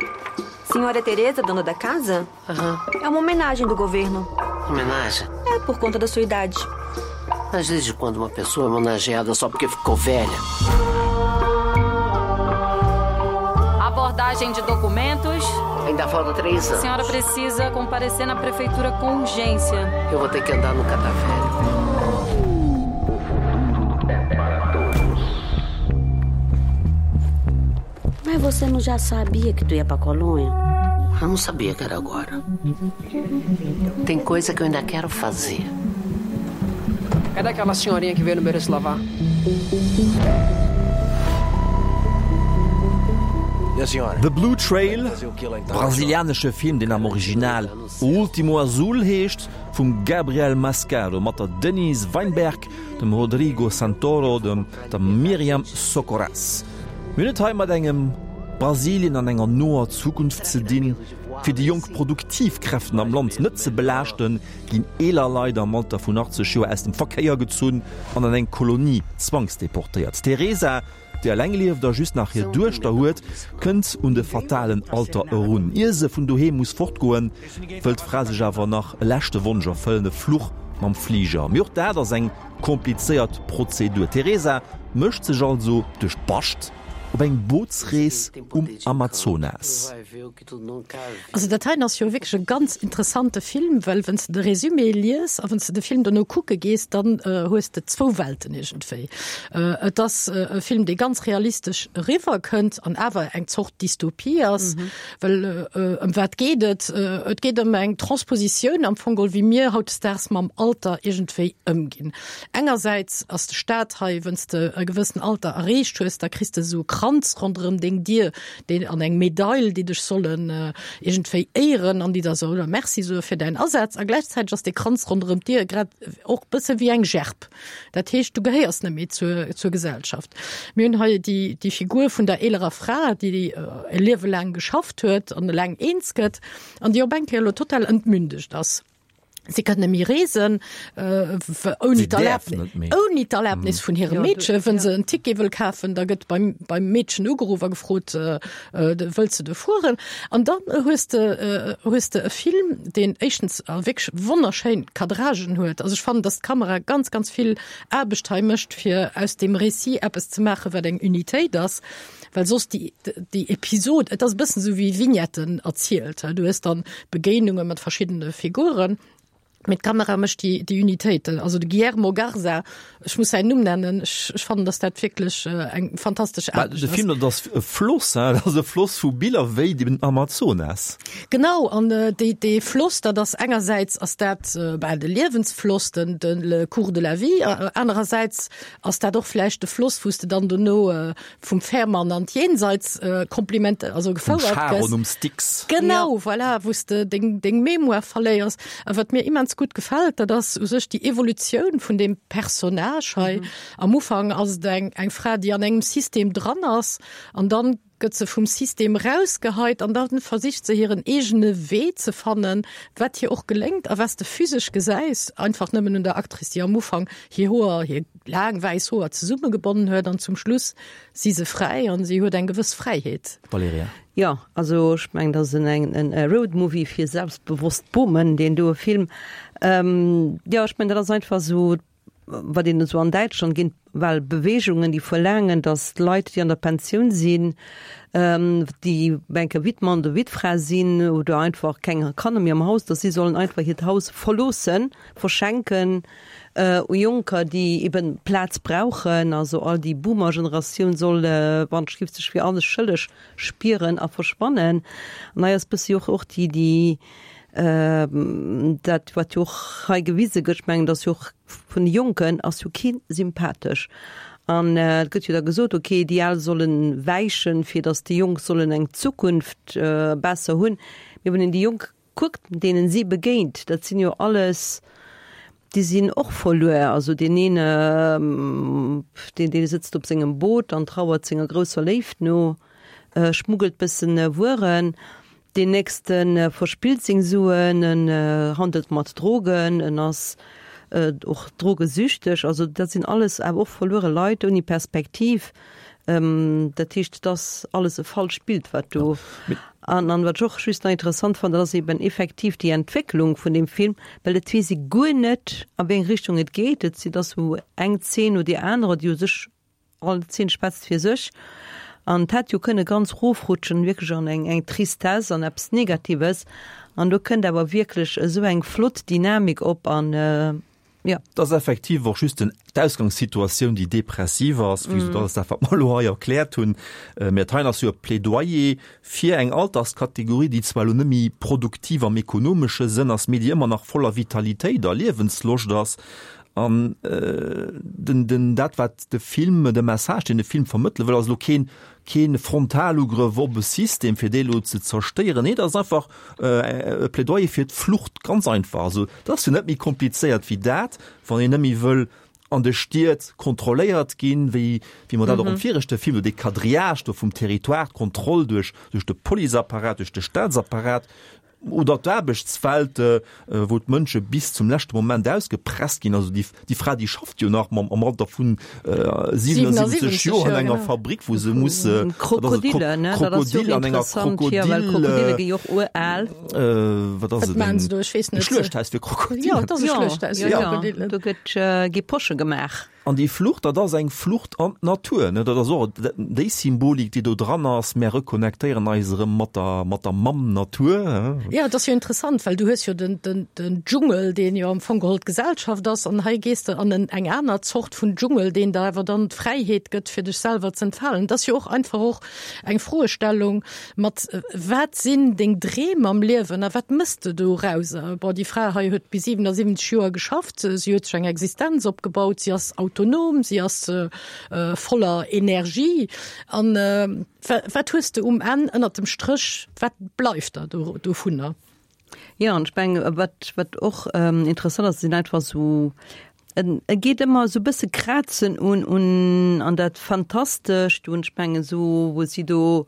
Senhora Teresa, dona da casa? Uhum. É uma homenagem do governo. Homenagem? É, por conta da sua idade. Mas desde quando uma pessoa é homenageada só porque ficou velha? Abordagem de documentos. Ainda falta três anos. A senhora precisa comparecer na prefeitura com urgência. Eu vou ter que andar no catavelho. O futuro é para todos. Mas você não já sabia que tu ia pra colônia? Eu não sabia que era agora. Tem coisa que eu ainda quero fazer. Cadê aquela senhorinha que veio no Mereço Lavar? The Blue Trail, brasilianesche Film, deen am Original O Último Azul heescht, vum Gabriel Mascaro mat der Denise Weinberg, dem Rodrigo Santoro, dem der Miriam Socorras. Mir hunn et hei mat engem Brasilien an enger noer Zukunft ze dinn. Fir déi jonk produktiv Kräften am Land net ze belaaschten, ginn eeler Leit am Alter vun achtzeg Joer aus dem Verkéier gezunn an an eng Kolonie zwangsdeportéiert. D'Teresa, déi eleng lieft a just nach hir Duechter huet, kënnt un de fatalen Alter erun. Ier se vun doheem muss fortgoen, wëll d'Fra sech awer nach e leschte Wonsch erfëllen, e Fluch mam Fliger. Mee och dat ass eng komplizéiert Prozedur. D'Teresa mécht sech also duerch d'Bascht op eng Bootsrees um Amazonas. Also dat heien ass jo wierklech e ganz interessante Film, well wann s de de Résumé lies a wann s de de Film dono kucke gees, dann hues de zwou Welten iergendwéi. Et ass e Film, dee ganz realistesch eriwwer kënnt an awer eng Zort Dystopie ass, well ëm wat geet et? Et geet ëm eng Transpositioun am Fong geholl, wéi mir hautdesdaags mam Alter iergendwéi ëmginn. Engersäits ass de Staat hei, wann s de e gewëssen Alter erreecht hues, da kriss de esou e Kranz ronderëm deng Dier, deen an eng Medail, déi dech sollen iergendwéi éieren an déi der solle Merci soe fir däin Asaz. A gläichzäiteg ass dee Kranz ronderëm d'Dier grad och bësse wéi eng Gerb. Dat heescht, du gehéiers net méi zur, zur Gesellschaft. Mir hunn hei déi, déi Figur vun der eelerer Fra, déi e Liewe laang geschafft huet an eleng eens gëtt an déi op eng Kéier elo total entmündegt ass. Si kann net méi reesen, ouni ouni d'Erlaabnis vun hirem Meedchen. Wa se en Ticket wëll kafen, da gëtt beim, beim Meedchen ugeruff a gefrot, Wëlls de do fueren? An dann hues de, hues de e Film, deen éischtens wierklech wonnerschéin Cadragen huet. Also ech fannen, datt d'Kamera ganz, ganz vill Aarbecht hei mécht, fir aus deem Récit eppes ze maachen, wat eng Unitéit ass. Well soss déi, déi Episod, et ass e bëssen esou wéi Vignetten erzielt, du hues dann Begéinunge mat verschiddene Figuren, mee d'Kamera mécht déi, déi Unitéit. Also de Guillermo Garza, ech muss säin Numm nennen, ech, ech fannen, datt dat wierklech eng fantastesch Aarbecht ass. De Film, dat ass e Floss, hein, dat ass e Floss vu Biller wéi den Amazonas. Genau, an dee, dee Floss, dat ass engersäits ass dat bal de Liewensfloss, den, de le cours de la vie, anerersäits ass dat och vläicht de Floss, wou s de dann dono vum Fährmann an d'Jenseits Kompliment, also gefouert gëss. Vum Charon um Styx. Genau, voilà, wou s de deng, deng Mémoire verléiers. A wat mir immens gutt gefält, dat ass u sech déi Evolutioun vun deem Personnage hei. Am Ufank ass et eng, eng Fra, déi an engem System dran ass an dann gëtt se vum System erausgeheit an dann versicht se hiren eegene Wee ze fannen, wat hir och geléngt a wat s de physesch gesäis, einfach nëmmen un der Actrice, déi am Ufank hir Hoer, hir laang wäiss Hoer zesummegebonnen huet an zum Schluss si se fräi an si huet eng gewëss Fräiheet. Valerija. Jo, also ech mengen, dat ass en e Roadmovie fir selbstbewosst Bomen, deen doe Film. Jo, ech mengen, dat ass einfach esou, wat een esou an Däitschland géint well Beweegungen, déi verlaangen, datt d'Leit, déi an der Pensioun sinn, déi enke Wittmann oder Wittfra sinn oder einfach keng Kanner méi am Haus, datt si sollen einfach hiert Haus verloossen, verschenken u Jonker, déi eben Plaz brauchen. Also all déi Boomer-Generatioun soll, wann d'Schrift sech fir alles schëlleg spieren a verschwannen. An hei ass bëssi och och déi, déi dat wat jo och hei gewise gëtt, ech mengen, datt jo och vun de Jonken ass jo kee sympathesch. An et gëtt jo da gesot, okay, déi Al solle wäichen, fir datt déi Jonk sollen eng Zukunft besser hunn. Mee wann een déi Jonk kuckt, deenen si begéint, dat sinn jo alles, déi sinn och verluer. Also deen een, deen dee sëtzt op sengem Boot an trauert senger grousser Léift no, schmuggelt bëssen Wueren. Deen nächste verspillt seng Suen, en handelt mat Drogen, en ass och drogesüchteg. Also dat sinn alles awer och verluere Leit ouni Perspektiv. Dat heescht, et ass alles e falscht Bild, wat do. An an wat ech och just nach interessant fannen, dat ass eben effektiv déi Entwécklung vun deem Film, well et weess ee guer net, a wéi eng Richtung et geet. Et si, et ass esou eng Zeen no deer anerer, déi u sech All Zeen schwätzt fir sech an et hätt jo kënne ganz rofrutschen, wierklech an eng eng Tristesse, an eppes Negatives an do kënnt awer wierklech esou eng flott Dynamik op an jo. Et ass effektiv och just den d'Ausgangssituatioun, déi depressiv ass, wéi gesot, alles dat, wat mer elo hei erkläert hunn. Mä dat heien ass jo e Plädoyer fir eng Alterskategorie, déi zwar elo net méi produktiv am ekonomesche Sënn ass, mee déi ëmmer nach voller Vitalitéit a Liewensloscht ass. An den, den, dat wat de Film, de Message, deen de Film vermëttele wëll, ass elo keen Keen Frontalugrëff op e System, fir dee lo ze zerstéieren. Nee, dat ass einfach e Plädoyer fir d'Flucht, ganz einfach. Also, dat ass jo net méi komplizéiert wéi dat, wann een net méi wëll an de Stied kontrolléiert ginn, wéi, wéi mer dat och am viregte Film, do dee Quadrillage do vum Territoire, d'Kontroll duerch, duerch de Policeapparat, duerch de Staatsapparat, oder d'Aarbechtswelt, wou d'Mënsche bis zum leschte Moment ausgepresst ginn. Also déi, déi Fra, déi schafft jo nach mam, am Alter vun siwenasiwwenzeg Joer an enger Fabrik, wou se muss, Krokodille, ne? Dat ass jo Krokodil, an enger interessant, jo, well Krokodille Krokodil, gi jo och ural. wat ass Wat et, maachen se do? Ech weess e net. Schluechthaus fir Krokodillen. Jo, et ass e Jo, Schluechthaus jo, fir jo, Krokodillen. do gëtt, gi Posche gemaach. An déi Flucht, dat ass eng Flucht an d'Natur, ne? Dat ass och déi Symbolik, déi do dran ass, Mär reconnectéieren eis erëm mat der, mat der Mamm Natur, he? Jo, et ass jo interessant, well du hues jo den, den, den Dschungel, deen jo am Fong geholl d'Gesellschaft ass, an hei gees de an en, eng aner Zort vun Dschungel, deen der awer dann d'Fräiheet gëtt, fir dech selwer ze entfalen. Et ass jo och einfach och eng Froestellung mat, Wat sinn deng Dreem am Liewen a wat mëss de dorauser? Bon, déi Fra hei huet bis siwenasiwwenzeg Joer geschafft, si huet sech eng Existenz opgebaut, si ass autonom, si ass voller Energie. An wat hues de um Enn ënnert dem Stréch, wat bleift der dovunner? Jo, an ech mengen, wat, wat och interessant ass, sinn einfach esou, en e geet ëmmer esou e bësse krazen un, un an dat Fantastescht, un ech mengen esou, wou si do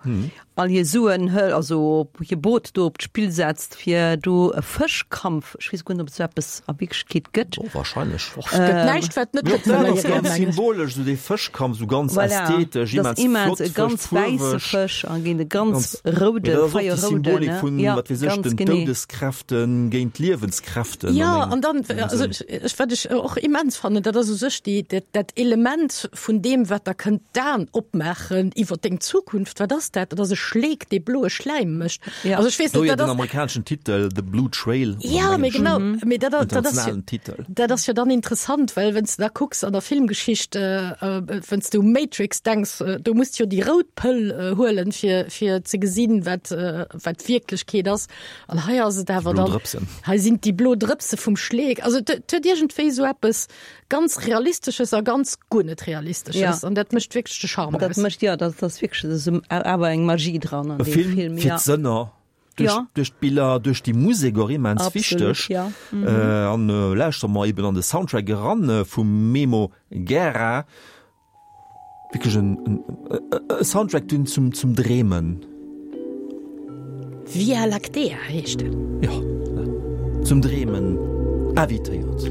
all hir Suen hëlt, also hir Boot do op d'Spill setzt, fir do e Fëschkampf, ech weess guer net, ob et esou eppes a Wierklechkeet gëtt. Oh, wahrscheinlech. Och, et gëtt näischt, wat net Jo, gëtt, dat ass Valerija, ganz mengen ech. symbolesch, esou dee Fëschkampf, esou ganz Voilà, ästhetesch, dat ass immens immens flott, e ganz frësch, wäisse fuerweg. Fësch a géint e ganz Ganz, mee roude, dat ass och déi feierroude, Symbolik ne? vun, Ja, wat weess ech, ganz den genee. Doudeskräften géint d'Liewenskräften Ja, an an dann, engem also Sënn. ech, ech, wat ech och immens fannen, dat ass u sech déi, dat, dat Element vun deem, wat der kënnt d'Aen opmaachen iwwer deng Zukunft, wat ass dat? Dat ass e Schleek, dee bloe Schläim mécht. Ja. Also ech weess Do net, jo dat den ass amerikaneschen Titel The Blue Trail oder Ja, am mee englischen genau, mee dat, dat, dat ass jo, internationalen Titel. dat ass jo dann interessant, well wenn's de da kucks an der Filmgeschicht, äh, äh, wenn's du u Matrix denks, äh, do muss du jo déi rout Pëll äh, huelen, fir, fir ze gesinn, wat, äh, wat Wierklechkeet ass. An hei ass et Déi awer blo dann, Drëpsen. hei sinn déi blo Drëpse vum Schleek. Also et huet iergendwéi esou eppes ganz Realistesches a ganz guer net Realistesches. Ja. An dat mécht wierklech de Charme Dat aus. mécht, ja, dat ass wierklech esou awer eng Magie dran an E deem Film Film, fir ja. d'Sënner, duerch, Ja. duerch d'Biller, duerch déi Musek och immens Absolut, wichteg. ja. Mhm. Äh, an äh, lauschtere mer eben an de Soundtrack eran äh, vum Memo Guerra. Wierklech en, en, e Soundtrack deen zum, zum Dreemen. Via Lactea heescht en. Jo, zum Dreemen invitéiert.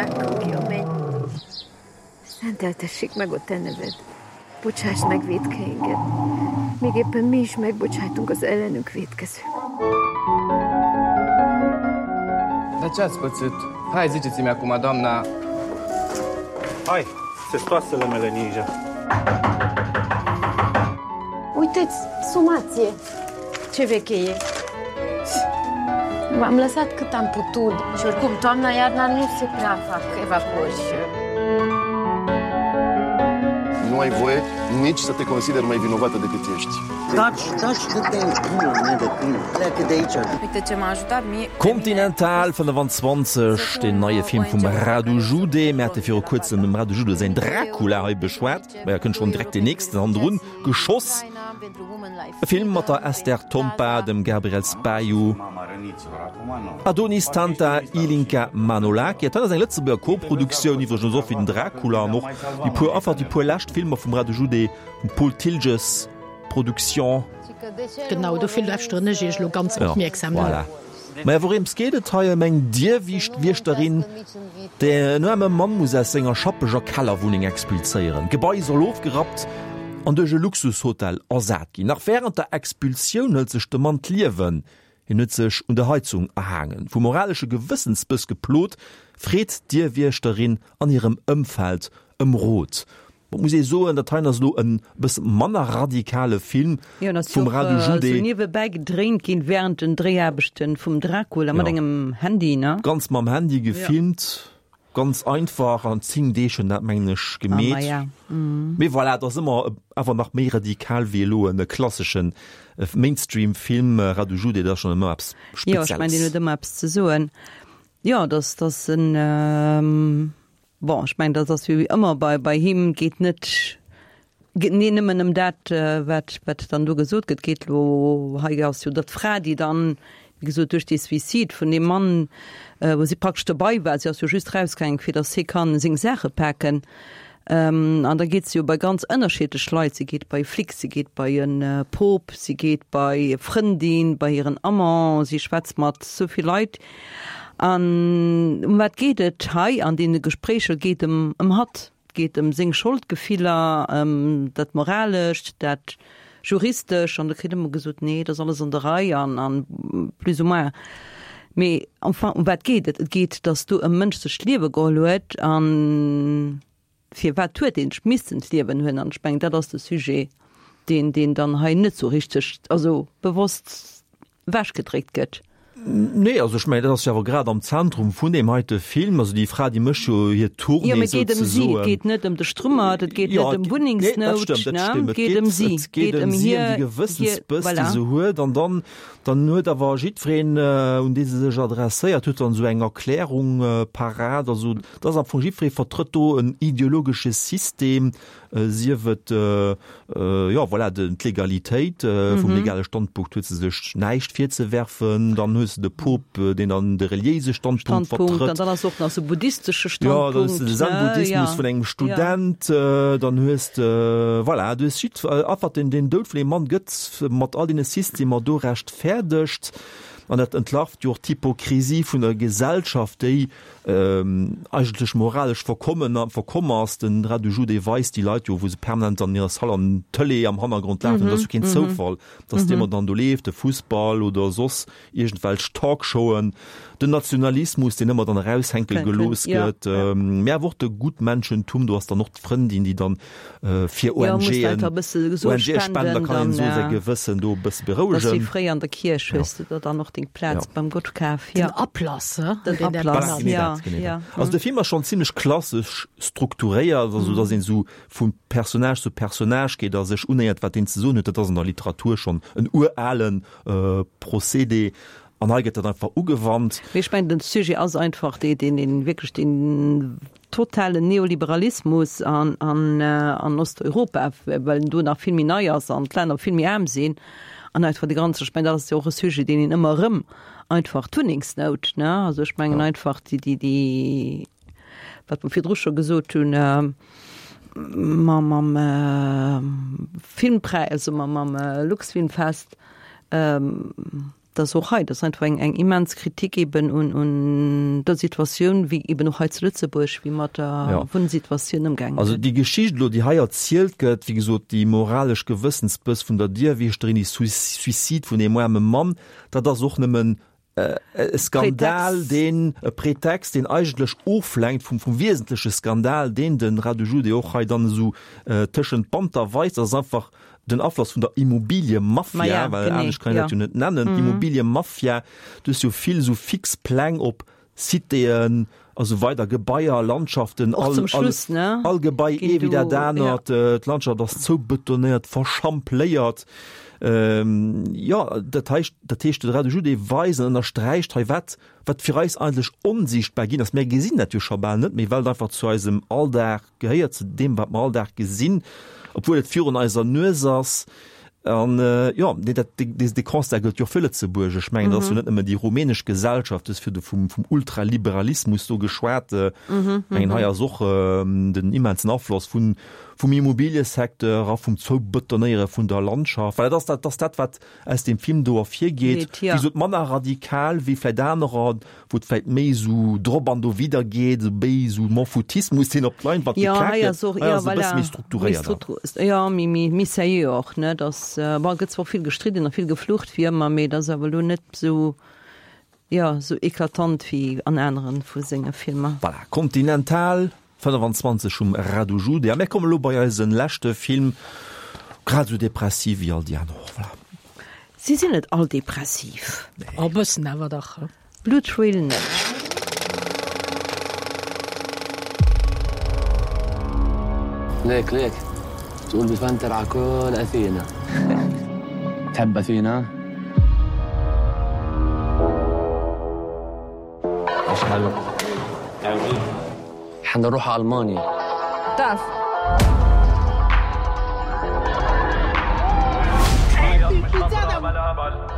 Bocsánk, jó menny. Szenteltessék meg a te neved. Bocsáss meg vétkeinket. Még éppen mi is megbocsájtunk az ellenünk vétkezők. Dar ce ați pățit? Hai, ziceți-mi acum, doamna... Hai, se stoasele mele ninja. Uite-ți, sumație! Ce veche e! V-am lăsat cât am putut și oricum toamna, iarna nu se prea fac evacuări. Nu ai voie nici să te consideri mai vinovată decât ești. Taci, taci, dă-te în gură, mea de câine. Pleacă de aici. Uite ce m-a ajutat mie... Continental fënnefan-zwanzeg, deen neie Film vum Radu Jude. Mir hate viru kuerzem dem Radu Jude säin Dracula hei beschwat. Maja, kënnt schonn direkt deen nächsten hannendrun geschoss. E Film mat der Esther Tompa, dem Gabriel Spahiu, Adonis Tanta, Ilinca Manolache. Dat ass eng Lëtzebuerger Koproduktioun, iwwregens och wéi den Dracula an och déi puer, einfach déi puer lescht Filmer vum Radu Jude, vum Paul Thiltges Production. Genau, dofir lauschteren ech iech elo ganz opmierksam no. Voilà. Maja, wouréms geet et hei? Ëm eng Dierwiichtwieschterin, déi en aarme Mann muss aus senger schappeger Kellerwunneng expulséieren. D'Gebai soll ofgerappt an duerch e Luxushotel ersat ginn. Nach wärend der Expulsioun hëlt sech de Mann d'Liewen. Hien huet sech un der Heizung erhaangen. Vu moralesche Gewëssensbëss geplot, freet d'Dierwiechterin an hirem Ëmfeld ëm Rot. Bon, muss ee soen, dat heien ass elo en bësse manner radikale Film Jo, en ass jo vum och Radu esou Jude. niewebäi gedréint ginn während den Dréiaarbechten vum Dracula mat Jo. engem Handy, ne? Ganz mam Handy Jo. gefilmt, ganz einfach, an zéng Deeg hunn dat mengen ech Ah, gemeet. maja. Mhm. Mee voilà, et ass ëmmer awer nach méi radikal wéi elo en klasseschen Mainstream-Film. Radu Jude, dat ass schonn ëmmer eppes Jo, ech mengen, deen Spezielles. huet ëmmer eppes ze soen. Jo, dass, dass en, Bon, ech mengen, dat ass wéi ëmmer bei, bei him, geet net, geet nee nëmmen ëm dat, wat, wat dann do gesot gëtt, geet lo, hei ass jo dat d'Fra, déi dann, wéi gesot, duerch dee Suicide vun deem Mann, wou si praktesch dobei war, si ass jo just rausgaangen, fir datt hie kann seng Saache paken, an da geet se jo bei ganz ënnerschiddlech Leit, si geet bei e Flic, si geet bei e Pop, si geet bei e Frëndin, bei hiren Amant, si schwätzt mat sou vill Leit. An ëm wat geet et hei an deene Gespréicher? Et geet ëm ëm hatt, et geet ëm seng Scholdgefiller, ëm dat Moralescht, dat Juristesch, an da kritt ëmmer gesot, nee, et ass alles an der Rei an an plus ou moins. Mee enfin, ëm wat geet et? Et geet, datt do e Mënsch sech d'Liewe geholl huet an firwat huet deen sech missen d'Liewen huelen? An ech mengen, dat ass de Sujet, deen, deen dann hei net sou richteg, also bewosst ewechgedréckt gëtt. Nee, also ech mengen, dat ass jo awer grad am Zentrum vun deem heite Film. Also déi Fra, déi mécht jo hir Tournée Jo, mee et geet ëm si, et souzesoen. geet net ëm de Strummert, et geet Jo, net ëm nee, dat Wunnengsnout, stëmmt, dat ne? stëmmt. Et Et geet geet, ëm si, et et geet geet ëm ëm si, ëm déi hir, hir, Gewëssensbëss, déi voilà. se huet. An dann, dann huet awer jiddwereen, un dee se sech adresséiert huet, dann esou eng Erklärung parat. Also dat ass am Fong, jiddweree vertrëtt do en ideologesche System, sief et, jo, voilà, d'Legalitéit, vum legale Standpunkt huet se sech näischt virzewerfen, dann hues de de Pop, deen dann de reliéise Standpunkt Standpunkt, vertrëtt. an dann ass och nach sou buddhistesche Jo, dann hues de de Standpunkt, ne, Zen-Buddhismus ja. vun engem Ja. Student, dann hues de, voilà, du hues jidd, einfach den, den Doud vun deem Mann gëtt mat all deene Systemer do rechtfäerdegt. An dat entlarvt jo och d'Hypokrisie vun der Gesellschaft, déi eigentlech moralesch verkommen, verkomm ass. Den Radu Jude weist déi Leit jo, wou se permanent an hirer Salle an d'Tëlee am Hannergrond lafen. Dat ass jo keen Zoufall, dass déi ëmmer dann do leeft, de Fussball oder soss iergendwelch Talkshowen, den Nationalismus, deen ëmmer dann eraushänke gelooss gëtt, mä awer och de Gutmenschentum, do ass dann och d'Frëndin, déi dann fir ONGen, ONGe spent, da kann een esou säi Gewëssen do e bësse berouegen. Dat ass wéi fréier an der Kierch, hues de der dann och deng Plaz Ja. beim Gott kaf. Den Ja. Ablass, hä? Den Den Ablass, Voilà, genee ja, dat, genee ja. dat. Also de Film ass schonn zimmlech klassesch strukturéiert, also dass een esou vu Personnage zu Personnage geet a sech unéiert, wat deen ze soen huet. Dat ass an der Literatur schonn en uralen Procédé an hei gëtt dat einfach ugewannt. Mee ech mengen, den Sujet ass einfach dee, deen, deen wierklech deen totalen Neoliberalismus an, an, an Osteuropa, well en do nach vill méi nei ass an d'Länner vill méi aarm sinn an einfach déi ganz, ech mengen, dat ass jo och e Sujet, deen een ëmmer erëm einfach d'Wunnengsnout, ne, also ech mengen einfach déi, déi, déi, wat mer virdru scho gesot hunn, mam, mam Filmpräis, also mam, mam Luxfilmfest, Dat ass och hei, dat ass einfach eng, eng immens Kritik eben un, un der Situatioun, wéi eben och hei zu Lëtzebuerg, wéi mat der Ja. Wunnsituatioun ëmgaange Also gëtt. déi Geschicht elo, déi hei erzielt gëtt, wéi gesot, déi moralesch Gewëssensbëss vun der Dierwieschterin, déi Suicide vun deem aarme Mann, dat ass och nëmmen e Skandal, Pretext. deen, e Pretext, deen eigentlech oflenkt vum, vum wiesentleche Skandal, deen den Radu Jude och hei dann esou tëschent d'Banter weist. Dat ass einfach den Afloss vun der Immobiliemafia, Ma ja, well genee, anescht kann een dat ja. jo net nennen, Mhm. d'Immobiliemafia, du hues jo vill esou fix Pläng op Citéen a sou weider, Gebaier, Landschaften, Och all, zum Schluss, all, ne? all Gebai Ginn ee wéi dat do, ja. anert, d'Landschaft ass zoubetonéiert, verschampléiert. Ähm, jo, dat heescht, dat heescht, de Radu Jude weist an ënnersträicht hei, wat, wat fir eis eigentlech onsiichtbar ginn ass. Mir gesinn dat jo scho bal net méi, well et einfach zu eisem Alldag gehéiert, zu deem, wat mer all Dag gesinn, obwuel et virun eiser Nues ass. An jo, nee, dat, dee, dee Constat gëllt jo och fir Lëtzebuerg. Ech mengen, dat ass jo net nëmmen déi rumänesch Gesellschaft, du hues virdu vum, vum Ultraliberalismus do geschwat. Ech mengen, hei ass och den immensen Afloss vun, vum Immobiliesecteur a vum Zoubetonéiere vun der Landschaft. Well dat ass dat, ass dat, wat aus dem Film do ervirgeet. Geet, ja. Wéi gesot, manner radikal wéi vläicht anerer, wou et vläicht méi esou drop an dowidder geet, esou méi esou M'en-foutismus, deen op d'Leinwand Ja, geklaakt hei gëtt. ass och, Hei ja, ass e voilà. bësse méi Méi strukturéiert. struktu-, ja, méi, méi, méi sérieux och, ne? Dass, bon, gëtt zwar vill gestridden a vill geflucht wéi ëmmer, mee dat ass awer elo net esou, ja, esou eklatant wéi an aneren vu senge Filmer. Voilà, Continental fënnefenzwanzeg vum Radu Jude. A mir kommen elo bei eisen leschte Film, grad esou depressiv wéi all déi aner och, voilà. Si sinn net all depressiv. E bëssen awer dach. Blue Trail net. ليك ليك تقول بفنتر على كل أثينا تحب أثينا؟ مش حلو حنروح على ألمانيا تعرف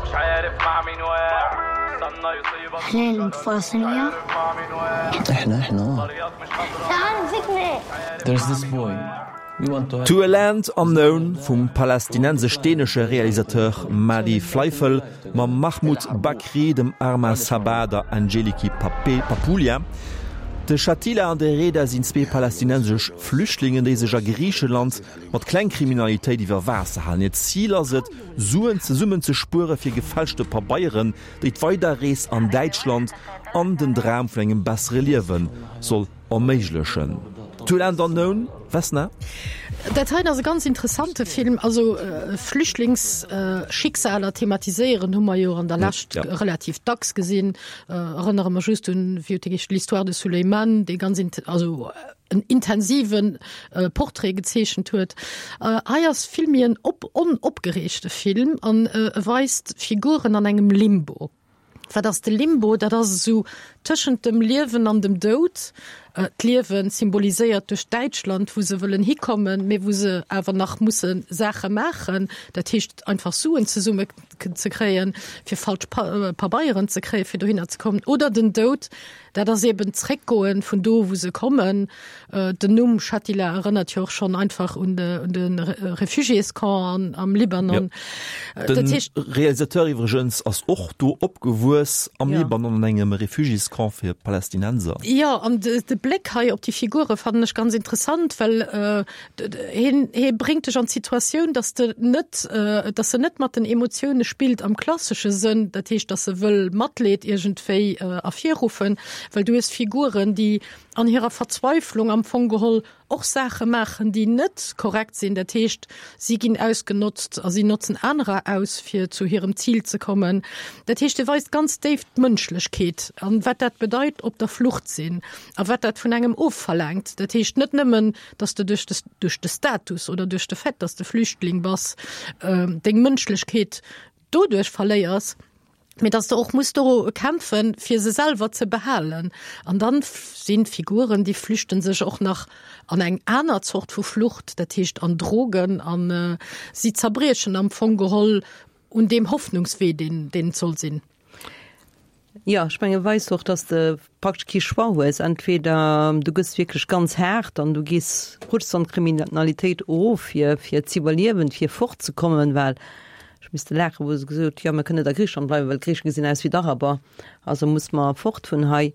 مش عارف مع مين واقع احنا الفلسطينية احنا احنا تعال مسكني There's this boy We want to To a Land Unknown vum palästinensesch-dänesche Realisateur Mahdi Fleifel mam Mahmoud Bakri, dem Arma Sabah, der Angeliki Papoulia. De Shatila an de Reda sinn zwee palästinensesch Flüchtlingen, déi sech a Griicheland mat Klengkriminalitéit iwwer Waasser halen. Hiert Zil ass et, Suen zesummen ze spuere fir gefälschte Pabeieren, déi d'Weiderrees an Däitschland an den Dram vun engem bessere Liewe soll erméiglechen. To a Land Unknown, Vesna? Dat heiten ass e ganz interessante Film. Also Flüchtlingsschicksaler thematiséieren hu mer jo an der Lescht Ja. relativ dacks gesinn. Erënnere mer just un, wéi huet dee geheescht, L'histoire de Souleymane, dee ganz also en intensiven Portrait gezeechent huet. Hei ass vill méi en op onopgereegte Film an e weist Figuren an engem Limbo. Wat ass de Limbo? Dat ass esou tëschent dem Liewen an dem Doud. D'Liewen symboliséiert duerch Däitschland, wou se wëllen hikommen, mee wou se awer nach musse Saache maachen, dat heescht einfach Suen zesumme ze kréien, fir falsch Pabeieren ze kréien, fir dohinner ze kommen. Oder den Doud, dat ass eben zréckgoen vun do, wou se kommen. Den Numm Shatila erënnert jo och schonn einfach un de un de Refugiéscamp am Libanon. Jo. De Realisateur iwwregens ass och do opgewuess am Libanon an engem Refugiéscamp fir Palästinenser. Jo, an de de Bléck hei op déi Figure fannen ech ganz interessant, well hien hie bréngt dech an d'Situatioun, dass de net dass en net mat den Emotioune spillt am klassesche Sënn, dat heescht, dass e wëll Matleed iergendwéi ervirruffen, well du hues Figuren, déi an hirer Verzweiflung am Fong geholl och Saache maachen, déi net korrekt sinn, dat heescht, si ginn ausgenotzt a si notzen anerer aus, fir zu hirem Zil ze kommen. Dat heescht, e weist ganz déif d'Mënschlechkeet an wat dat bedeit, op der Flucht sinn a wat dat vun engem ofverlaangt. Dat heescht net nëmmen, dass de duerch de, duerch de Status oder duerch de Fait, dass de Flüchtling bass, deng Mënschlechkeet doduerch verléiers, mee dass de och muss doru kämpfen, fir se selwer ze behalen. An dann sinn Figuren, déi flüchten sech och nach an eng aner Zort vu Flucht, dat heescht an Drogen, an si zerbriechen am Fong geholl un deem Hoffnungswee, deen, deen et soll sinn. Jo, ech menge weist och, dass de praktesch kee Choix hues. Entweder du gëss wierklech ganz haart an du gees, rutschs an d'Kriminalitéit erof, fir, fir z'iwwerliewen, fir fortzekommen, well Ech misste laachen, wou se gesot, jo, mir kënnen net a Griicheland bleiwen, well d'Griiche gesinn aus wéi d'Araber, also muss mer fort vun hei.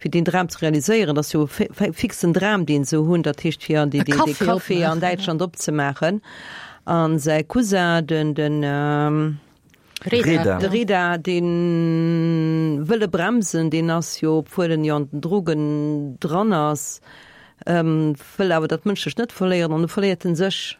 Fir deen Dram ze realiséieren, dat ass jo e fixen Dram, deen se hunn, dat heescht fir dee Café an Däitschland opzemaachen. A säi Cousin, den, den Reda, de Reda, dee wëll e bremsen, deen ass jo, obwuel en jo an den Drogen dran ass, wëll awer dat Mënschlecht net verléieren an du verléiert en sech.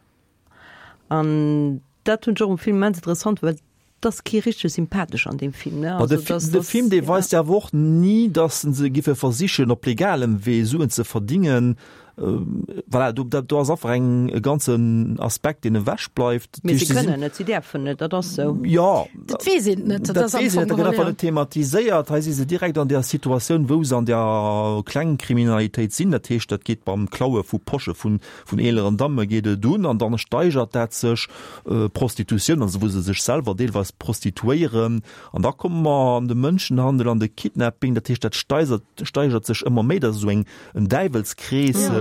An dat hunn ech och um Film immens interessant, well et ass kee richteg sympathesch an deem Film, ne? Ma de Also dass, de dass, Film, dee ja. weist jo awer och ni, dass se giffe versichen, op legalem Wee Suen ze verdingen. Voilà, do, do ass einfach eng, e ganzen Aspekt, deen ewech bleift. Mee se kënnen net, si däerfen net, dat ass sou. Jo. Dat weess een net, dat ass am Fong geholl, dat gëtt einfach net thematiséiert. Hei si se direkt an där Situatioun, wou se an der Klengkriminalitéit sinn. Dat heescht, dat geet beim Klaue vu Posche vun, vun eeleren Damme geet et un an dann steigert dat sech, Prostitutioun, also wou se sech selwer deelweis prostituéieren. An da komme mer an de Mënschenhandel, an de Kidnapping. Dat heescht, dat steigert, steigert sech ëmmer méi. Dat ass esou eng, en Däiwelskrees. Ja.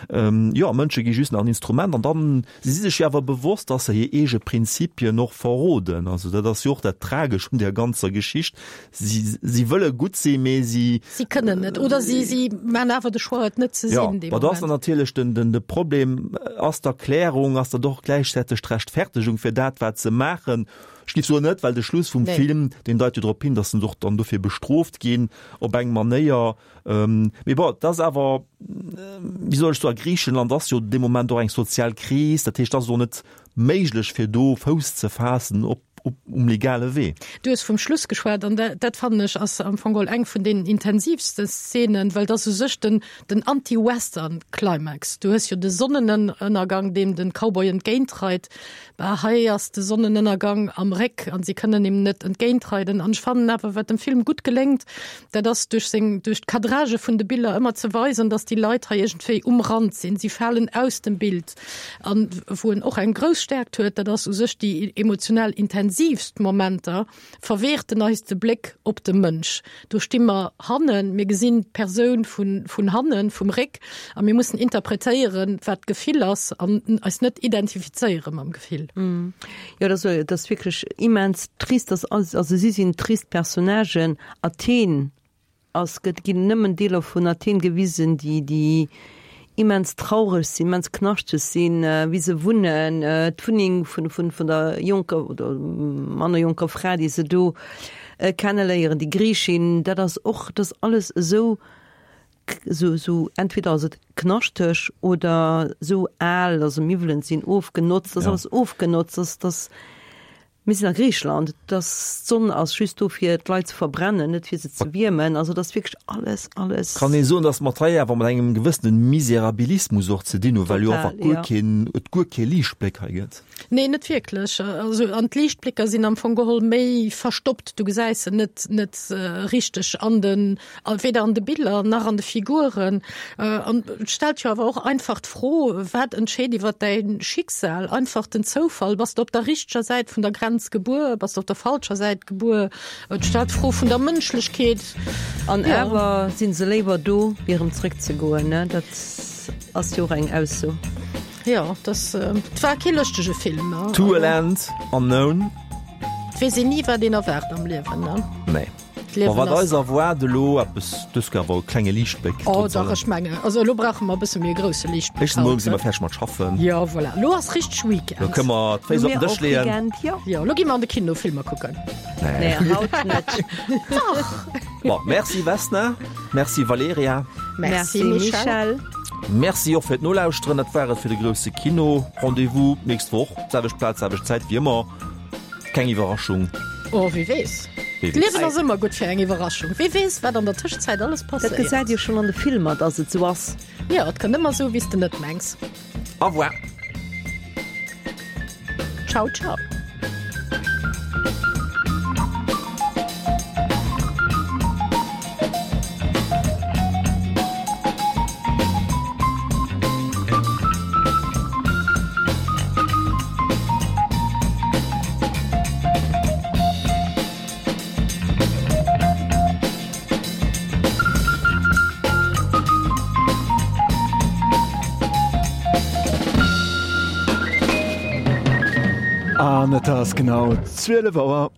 Ähm, jo, Mënsche gi just nach en Instrument an dann, si si sech jo awer bewosst, dass se hir eege Prinzipien och verroden. Also dat ass jo och dat Tragesch un där ganzer Geschicht. Si, si wëlle gutt sinn, mee si. Si kënnen net oder si, si maachen awer de Choix, et net ze Ja, sinn dee ma dat ass Moment. dann natierlech den, den, de Problem. Ass d'Erklärung, ass dat och gläichzäiteg d'Rechtfertegung fir dat, wat se maachen? Ech géif soen net, well de Schluss vum Nee. Film, deen deit jo drop hin, dass se och dann dofir bestrooft ginn op eng Manéier. Mee bon, et ass awer, wéi soll ech soen, a Griichenland ass jo dee Moment och eng sozial Kris, dat heescht, et ass och net méiglech fir do Fouss ze faassen op, op, um legale Wee. Du hues vum Schluss geschwat an dat, dat fannen ech ass am Fong geholl eng vun den intensivste Szenen, well dat ass u sech den, den Anti-Western-Climax. Du hues jo de Sonnenënnergang, deem den Cowboy entgéintreit. Bah, hei ass de Sonnenënnergang am Réck an si kënnen him net entgéintreiden. An ech fannen awer, wat dem Film gutt geléngt, dat ass duerch seng, duerch d'Cadrage vun de Biller ëmmer ze weisen, dass déi Leit hei iergendwéi um Rand sinn. Si falen aus dem Bild. An wou en och eng grouss Stärkt huet, dat ass u sech déi emotionell intensivst Momenter, verwehrt en eis de Bléck op de Mënsch. Do sti mer hannen, mir gesinn d'Persoun vun, vun hannen, vum Réck, a mir mussen interpretéieren, wat d'Gefill ass an eis net identifizéiere mam Gefill. Jo, dat ass, dat ass wierklech immens trist. Dat ass, also si sinn trist Personnagen. Athen ass, gëtt, ginn nëmmen Deeler vun Athen gewisen, déi, déi immens traureg sinn, immens knaschteg sinn, wéi se wunnen, d'Wunneng vun, vun, vun der jonker oder manner jonker Fra, déi se do kenneléieren, déi Griichin, dat ass och, dat ass alles esou, esou, esou, entweder ass et knaschteg oder esou al, also Miwwelen sinn ofgenotzt, dat ass alles ofgenotzt, dat ass, dat ass, Mir sinn a Griicheland, dass d'Sonn ass just do fir d'Leit ze verbrennen, net fir se ze wiermen. Also dat ass wierklech alles, alles. Kann ee soen, dass mer et hei awer mat engem gewëssene Miserabilismus och ze dinn hunn, well jo Total, einfach guer jo. keen, et guer kee Liichtbléck hei gëtt? Nee, net wierklech. Also an d'Liichtblécker sinn am Fong geholl méi verstoppt, du gesäis se net, net richteg an den, weder an de Biller nach an de Figuren. An et stellt jo awer och einfach d'Fro, Wat entscheet iwwer däi Schicksal? Einfach den Zoufall? Bass de op der richteger Säit vun der Grenz gebuer? Bass de op der falscher Säit gebuer? Et stellt d'Fro vun der Mënschlechkeet. An Jo. awer si se léiwer do, wéi erëm zréckzegoen, ne? Dat ass jo och eng Ausso. Jo, dat, et war kee lëschtege Film, ne? To a Land Unknown. Et weess een ni, wat een erwaart am Liewen, ne? Nee. D'Liewen Ma wat ass. eis erwaart elo, eppes, dës Kéier awer e klenge Liichtbléck, Oh trotz dach, allem. ech mengen, also elo brauche mer e bësse méi e grousse Liichtbléck Éischten Mol haut, si mer ne? fäerdeg mat schaffen. Jo, voilà, elo ass richteg Weekend. Elo kënne mer d'Féiss op den Dësch leeën. Weekend, jo. Jo, elo gi mer an de Kino Filmer kucken. Nee. Nee, haut net. Dach! Bon, merci Vesna, merci Valerija. Merci Michel. Merci och fir d'Nolauschteren. Dat war et fir de grousse Kino. Rendez-vous d'nächst Woch, selwecht Plaz, selwecht Zäit wéi ëmmer. Keng Iwwerraschung. Oh, wie weess. Wie weess. D'Liewen ass ëmmer gutt fir eng Iwwerraschung. Wie weess, wat an der Tëschenzäit alles Dat passéiert. gesäit Dir schonn an de Filmer, dass et sou ass. Jo, et kënnt ëmmer sou, wéi s de net mengs. Au revoir. Ciao, ciao. An et ass genau zwielef Auer.